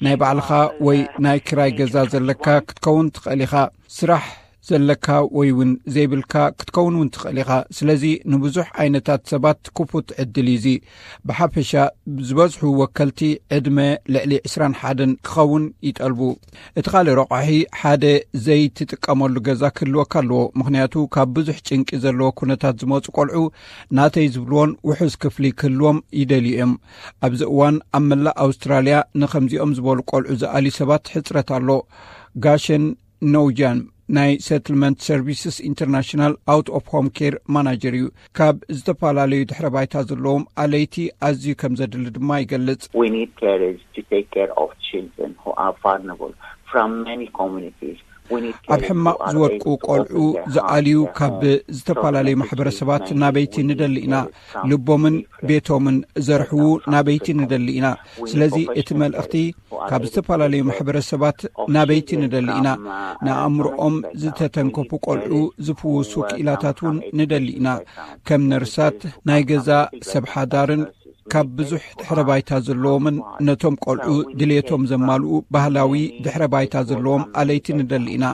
ናይ ባዕልኻ ወይ ናይ ክራይ ገዛ ዘለካ ክትከውን ትኽእል ኢኻ። ስራሕ ዘለካ ወይ እውን ዘይብልካ ክትከውን እውን ትኽእል ኢኻ። ስለዚ ንብዙሕ ዓይነታት ሰባት ክፉት ዕድል እዩ እዚ። ብሓፈሻ ዝበዝሑ ወከልቲ ዕድመ ልዕሊ ዕስራን ሓደን ክኸውን ይጠልቡ። እቲ ካልእ ረቋሒ ሓደ ዘይትጥቀመሉ ገዛ ክህልወካ ኣለዎ። ምኽንያቱ ካብ ብዙሕ ጭንቂ ዘለዎ ኩነታት ዝመፁ ቆልዑ ናተይ ዝብልዎን ውሑስ ክፍሊ ክህልዎም ይደልዩ እዮም። ኣብዚ እዋን ኣብ መላእ ኣውስትራልያ ንኸምዚኦም ዝበሉ ቆልዑ ዝኣልዩ ሰባት ሕፅረት ኣሎ። ጋሸን ኖውጃን ናይ ሰትልመንት ሰርቪስስ ኢንተርናሽናል ኣውት ኦፍ ሆም ኬር ማናጀር እዩ። ካብ ዝተፈላለዩ ድሕረ ባይታ ዘለዎም ኣለይቲ ኣዝዩ ከም ዘድሊ ድማ ይገልጽ። We need carers to take care of children who are vulnerable from many communities. ኣብ ሕማቕ ዝወድቁ ቆልዑ ዝኣልዩ ካብ ዝተፈላለዩ ማሕበረሰባት ናበይቲ ንደሊ ኢና። ልቦምን ቤቶምን ዘርሕዉ ናበይቲ ንደሊ ኢና። ስለዚ እቲ መልእኽቲ ካብ ዝተፈላለዩ ማሕበረሰባት ናበይቲ ንደሊ ኢና። ንኣእምሮኦም ዝተተንከፉ ቆልዑ ዝፍውሱ ክኢላታት እውን ንደሊ ኢና። ከም ነርሳት፣ ናይ ገዛ ሰብ ሓዳርን ካብ ብዙሕ ድሕረ ባይታ ዘለዎምን ነቶም ቆልዑ ድሌቶም ዘማልኡ ባህላዊ ድሕረ ባይታ ዘለዎም ኣለይቲ ንደሊ ኢና።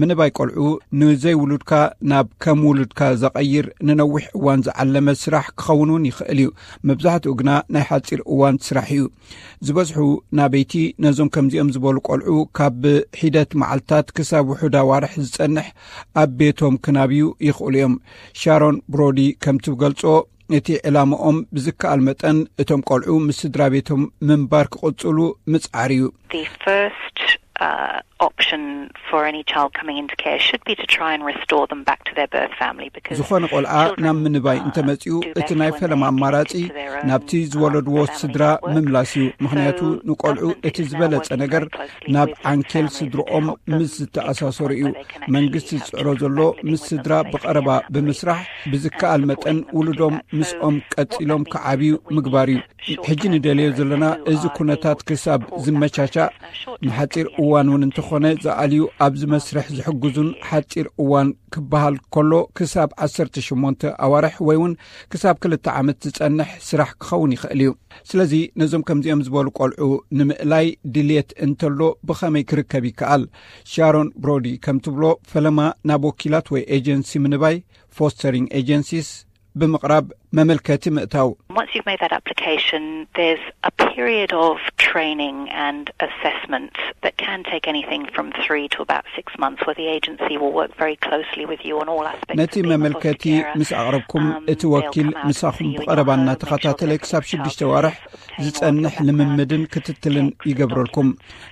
ምንባይ ቆልዑ ንዘይውሉድካ ናብ ከም ውሉድካ ዘቐይር ንነዊሕ እዋን ዝዓለመ ስራሕ ክኸውን እውን ይኽእል እዩ። መብዛሕትኡ ግና ናይ ሓፂር እዋን ስራሕ እዩ። ዝበዝሑ ናበይቲ ነዞም ከምዚኦም ዝበሉ ቆልዑ ካብ ሒደት መዓልታት ክሳብ ውሑድ ኣዋርሕ ዝጸንሕ ኣብ ቤቶም ክናብዩ ይኽእሉ እዮም። ሻሮን ብሮዲ ከም ትገልጾ፣ እቲ ዕላማኦም ብዝከኣል መጠን እቶም ቆልዑ ምስ ስድራ ቤቶም ምንባር ክቕጽሉ ምጽዓር እዩ። The first uh, option for any child coming into care should be to try and restore them back to their birth family, because ዝኾነ ቆልዓ ናብ ምንባይ እንተመጺኡ፣ እቲ ናይ ፈለማ ኣማራጺ ናብቲ ዝወለድዎ ስድራ ምምላስ እዩ። ምኽንያቱ ንቆልዑ እቲ ዝበለጸ ነገር ናብ ዓንኬል ስድርኦም ምስ ዝተኣሳሰሩ እዩ። መንግስቲ ዝጽዕሮ ዘሎ ምስ ስድራ ብቐረባ ብምስራሕ፣ ብዝከኣል መጠን ውሉዶም ምስኦም ቀጺሎም ክዓብዩ ምግባር እዩ። ሕጂ ንደልዮ ዘለና፣ እዚ ኩነታት ክሳብ ዝመቻቻእ ንሓጺር እዋን እውን እንተኾነ ዝኣልዩ፣ ኣብዚ መስርሕ ዝሕግዙን ሓጺር እዋን ክበሃል ከሎ ክሳብ ዓሰርተ ሸሞንተ ኣዋርሕ ወይ እውን ክሳብ ክልተ ዓመት ዝጸንሕ ስራሕ ክኸውን ይኽእል እዩ። ስለዚ ነዞም ከምዚኦም ዝበሉ ቆልዑ ንምእላይ ድልየት እንተሎ ብኸመይ ክርከብ ይከኣል? ሻሮን ብሮዲ ከም ትብሎ፣ ፈለማ ናብ ወኪላት ወይ ኤጀንሲ ምንባይ፣ ፎስተሪንግ ኤጀንሲስ፣ ብምቕራብ መመልከቲ ምእታው። Once you've made that application, there's a period of training and assessment that can take anything from three to about six months, where the agency will work very closely with you on all aspects of ነቲ being a መመልከቲ foster carer. ምስ ኣቕረብኩም፣ እቲ ወኪል ምሳኹም ብቐረባ እናተኸታተለ ክሳብ ሽዱሽተ ዋርሕ ዝጸንሕ ልምምድን ክትትልን ይገብረልኩም።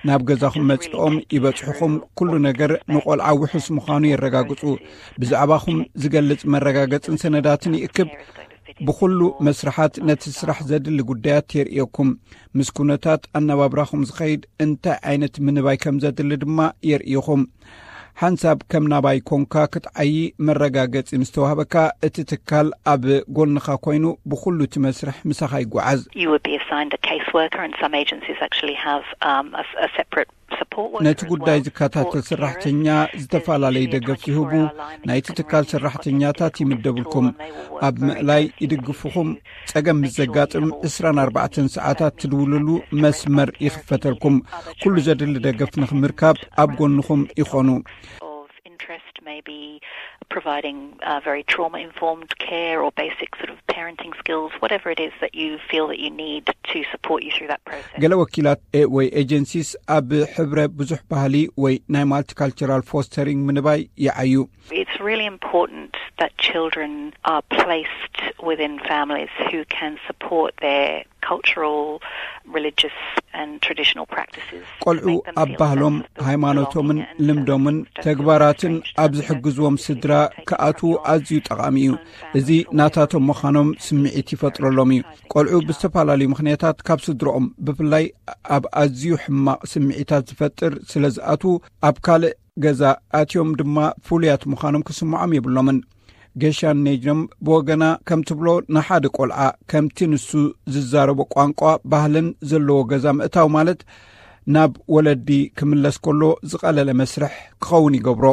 ናብ ገዛኹም መጺኦም ይበጽሑኹም፣ ኩሉ ነገር ንቆልዓ ውሑስ ምዃኑ የረጋግጹ። ብዛዕባኹም ዝገልጽ መረጋገጽን ሰነዳትን ይእክብ። ብኹሉ መስርሓት ነቲ ስራሕ ዘድሊ ጉዳያት የርእየኩም። ምስ ኩነታት ኣነባብራኹም ዝኸይድ እንታይ ዓይነት ምንባይ ከም ዘድሊ ድማ የርእይኹም። ሓንሳብ ከም ናባይ ኮንካ ክትዓዪ መረጋገጺ ምስ ተዋህበካ፣ እቲ ትካል ኣብ ጎንኻ ኮይኑ ብኹሉ እቲ መስርሕ ምሳኻ ይጓዓዝ። You would be assigned a caseworker, and some agencies actually have, um, a, a separate support worker ነቲ as ጉዳይ well ዝከታተል for ሰራሕተኛ carers. ዝተፈላለዩ ደገፍ ይህቡ። ናይቲ ትካል ሰራሕተኛታት ይምደብልኩም። ኣብ ምእላይ ይድግፉኹም። ጸገም ምስ ዘጋጥም ዕስራን ኣርባዕተን ሰዓታት ትድውልሉ መስመር ይኽፈተልኩም። ኩሉ ዘድሊ ደገፍ ንኽምርካብ ኣብ ጎንኹም ይኾኑ። Of interest may be providing, uh, very trauma-informed care or basic sort of parenting skills, whatever it is that you feel that you need to support you through that process. ገለ ወኪላት ኤ-፣ ወይ ኤጀንሲስ ኣብ ሕብረ ብዙሕ ባህሊ ወይ ናይ ማልቲካልቸራል ፎስተሪንግ ምንባይ ይዓዩ። It's really important that children are placed within families who can support their cultural, religious and traditional practices to ቆልዑ make them ኣብ feel ባህሎም፣ sense of ሃይማኖቶምን belonging and ልምዶምን sense of ተግባራትን strangeness ኣብ and ዝሕግዝዎም sense of ስድራ being taken ክኣትዉ from your ኣዝዩ ጠቓሚ እዩ። family እዚ and ናታቶም ምዃኖም ስምዒት ይፈጥረሎም እዩ። ቆልዑ ብዝተፈላለዩ ምኽንያታት ካብ ስድሮኦም፣ ብፍላይ ኣብ ኣዝዩ ሕማቕ ስምዒታት ዝፈጥር ስለ ዝኣትዉ፣ ኣብ ካልእ ገዛ ኣትዮም ድማ ፍሉያት ምዃኖም ክስምዖም የብሎምን። ገሻን ኔጅኖም ብወገና ከም ትብሎ፣ ንሓደ ቆልዓ ከምቲ ንሱ ዝዛረቦ ቋንቋ፣ ባህልን ዘለዎ ገዛ ምእታው ማለት ናብ ወለዲ ክምለስ ከሎ ዝቐለለ መስርሕ ክኸውን ይገብሮ።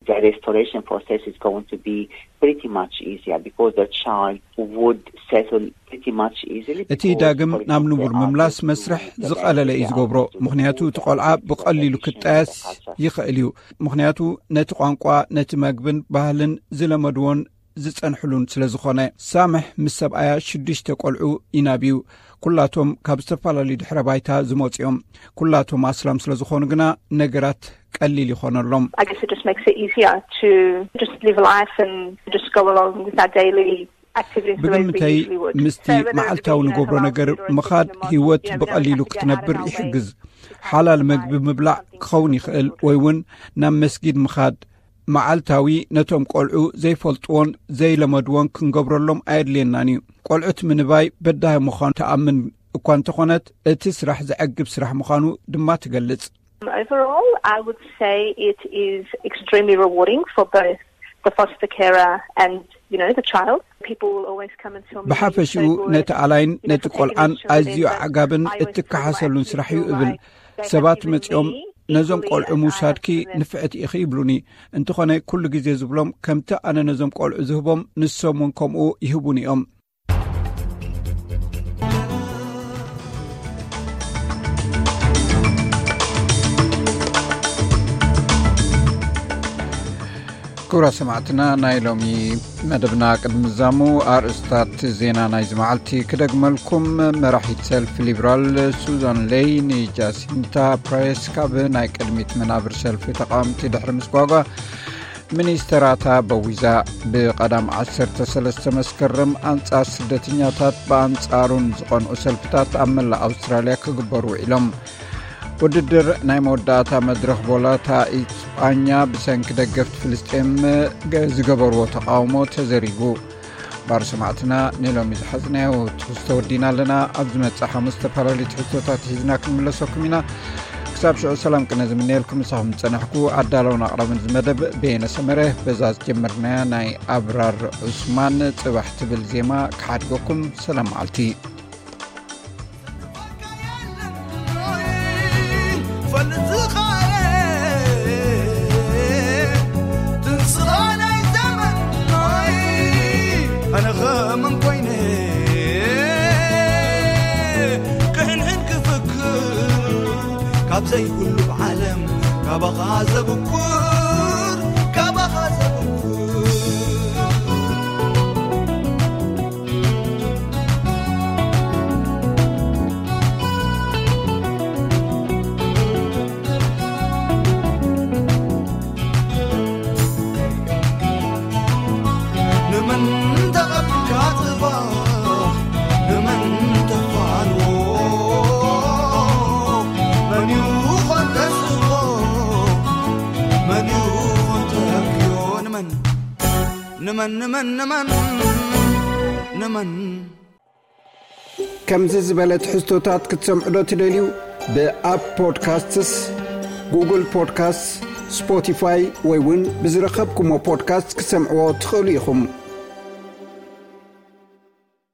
The restoration process is going to be pretty much easier because the child would settle pretty much easily እቲ because, ዳግም for ናብ example, ንቡር they are ምምላስ used to መስርሕ the ዝቐለለ እዩ language, ዝገብሮ። they are used to ምኽንያቱ እቲ ቆልዓ ብቐሊሉ ክጣየስ ይኽእል እዩ። ምኽንያቱ ነቲ ቋንቋ፣ ነቲ መግብን ባህልን ዝለመድዎን ዝጸንሕሉን ስለ ዝኾነ። ሳምሕ ምስ ሰብኣያ ሽዱሽተ ቆልዑ ይናብዩ። ኩላቶም ካብ ዝተፈላለዩ ድሕረ ባይታ ዝመጹ እዮም። ኩላቶም ኣስላም ስለ ዝኾኑ ግና ነገራት ቀሊል ይኾነሎም። I guess it just makes it easier to just live life and just go along with our daily activities the way we ብግምተይ usually would. ምስቲ So whether it be, መዓልታዊ you know, ንገብሮ ነገር ምኻድ፣ ህይወት ብቐሊሉ ክትነብር ይሕግዝ። ሓላል መግቢ ምብላዕ ክኸውን ይኽእል፣ ወይ እውን ናብ መስጊድ ምኻድ። መዓልታዊ ነቶም ቆልዑ ዘይፈልጥዎን ዘይለመድዎን ክንገብረሎም ኣየድልየናን እዩ። ቆልዑት ምንባይ በዳሂ ምዃኑ ትኣምን እኳ እንተኾነት፣ እቲ ስራሕ ዘዕግብ ስራሕ ምዃኑ ድማ ትገልጽ። Overall, I would say it is extremely rewarding for both the foster carer and, you know, the child. People will always come and tell me, ብሓፈሽኡ say, "Good, ነቲ ኣላይን you know, ነቲ ቆልዓን ኣዝዩ ኣዕጋብን እትከሓሰሉን ስራሕ እዩ" እብል። ሰባት መጺኦም፣ "ነዞም ቆልዑ ምውሳድኪ ንፍዕቲ ኢኺ" ይብሉኒ። እንተኾነ ኩሉ ግዜ ዝብሎም፣ ከምቲ ኣነ ነዞም ቆልዑ ዝህቦም፣ ንሶም እውን ከምኡ ይህቡኒ እዮም። ክቡራት ሰማዕትና፣ ናይ ሎሚ መደብና ቅድሚ ምዛሙ፣ ኣርእስታት ዜና ናይዚ መዓልቲ ክደግመልኩም። መራሒት ሰልፊ ሊብራል ሱዛን ሌይ ንጃሲንታ ፕሬስ ካብ ናይ ቅድሚት መናብር ሰልፊ ተቃወምቲ ድሕሪ ምስጓጓ፣ ሚኒስተራታ በዊዛ። ብቐዳም ዓሰርተ ሰለስተ መስከረም ኣንጻር ስደተኛታት ብኣንጻሩን ዝቐንዑ ሰልፍታት ኣብ መላእ ኣውስትራልያ ክግበሩ ውዒሎም። ውድድር ናይ መወዳእታ መድረኽ ቦላታ ኢስጳኛ ብሰንኪ ደገፍቲ ፍልስጤም ገ-፣ ዝገበርዎ ተቓውሞ ተዘሪጉ። ባር ሰማዕትና ንሎሚ ዝሓዝናዮ ትሕዝቶ ወዲና ኣለና። ኣብ ዝመጽእ ሓሙስ ዝተፈላለዩ ትሕዝቶታት ሒዝና ክንምለሰኩም ኢና። ክሳብ ሽዑ ሰላም ቅነ ዝምነየልኩም ምሳኹም ዝጸናሕኩ ኣዳለውን ኣቕራብን እዚ መደብ በየነ ሰመረ። በዛ ዝጀመርናያ ናይ ኣብራር ዑስማን ጽባሕ ትብል ዜማ ክሓድገኩም። ሰላም መዓልቲ። ፈልጥ ዝኻረ ትንስኻ ናይ ዘመን ኣነ ኸመን ኮይነ ክሕንሕን ክፍክር ካብ ዘይብሉ ዓለም ካባኻ ዘብኩር ካባኻ ዘብኩር ንመን ተቐቢልካ ጽባሕ ንመን ተፋንዎ መን እዩ ኾን ተስፎ መን እዩ ኾን ተረክዮ ንመን ንመን ንመን ንመን ንመን ከምዚ ዝበለ ትሕዝቶታት ክትሰምዑ ዶ ትደልዩ? ብኣፕ ፖድካስትስ፣ ጉግል ፖድካስትስ፣ ስፖቲፋይ ወይ እውን ብዝረኸብኩሞ ፖድካስት ክትሰምዕዎ ትኽእሉ ኢኹም።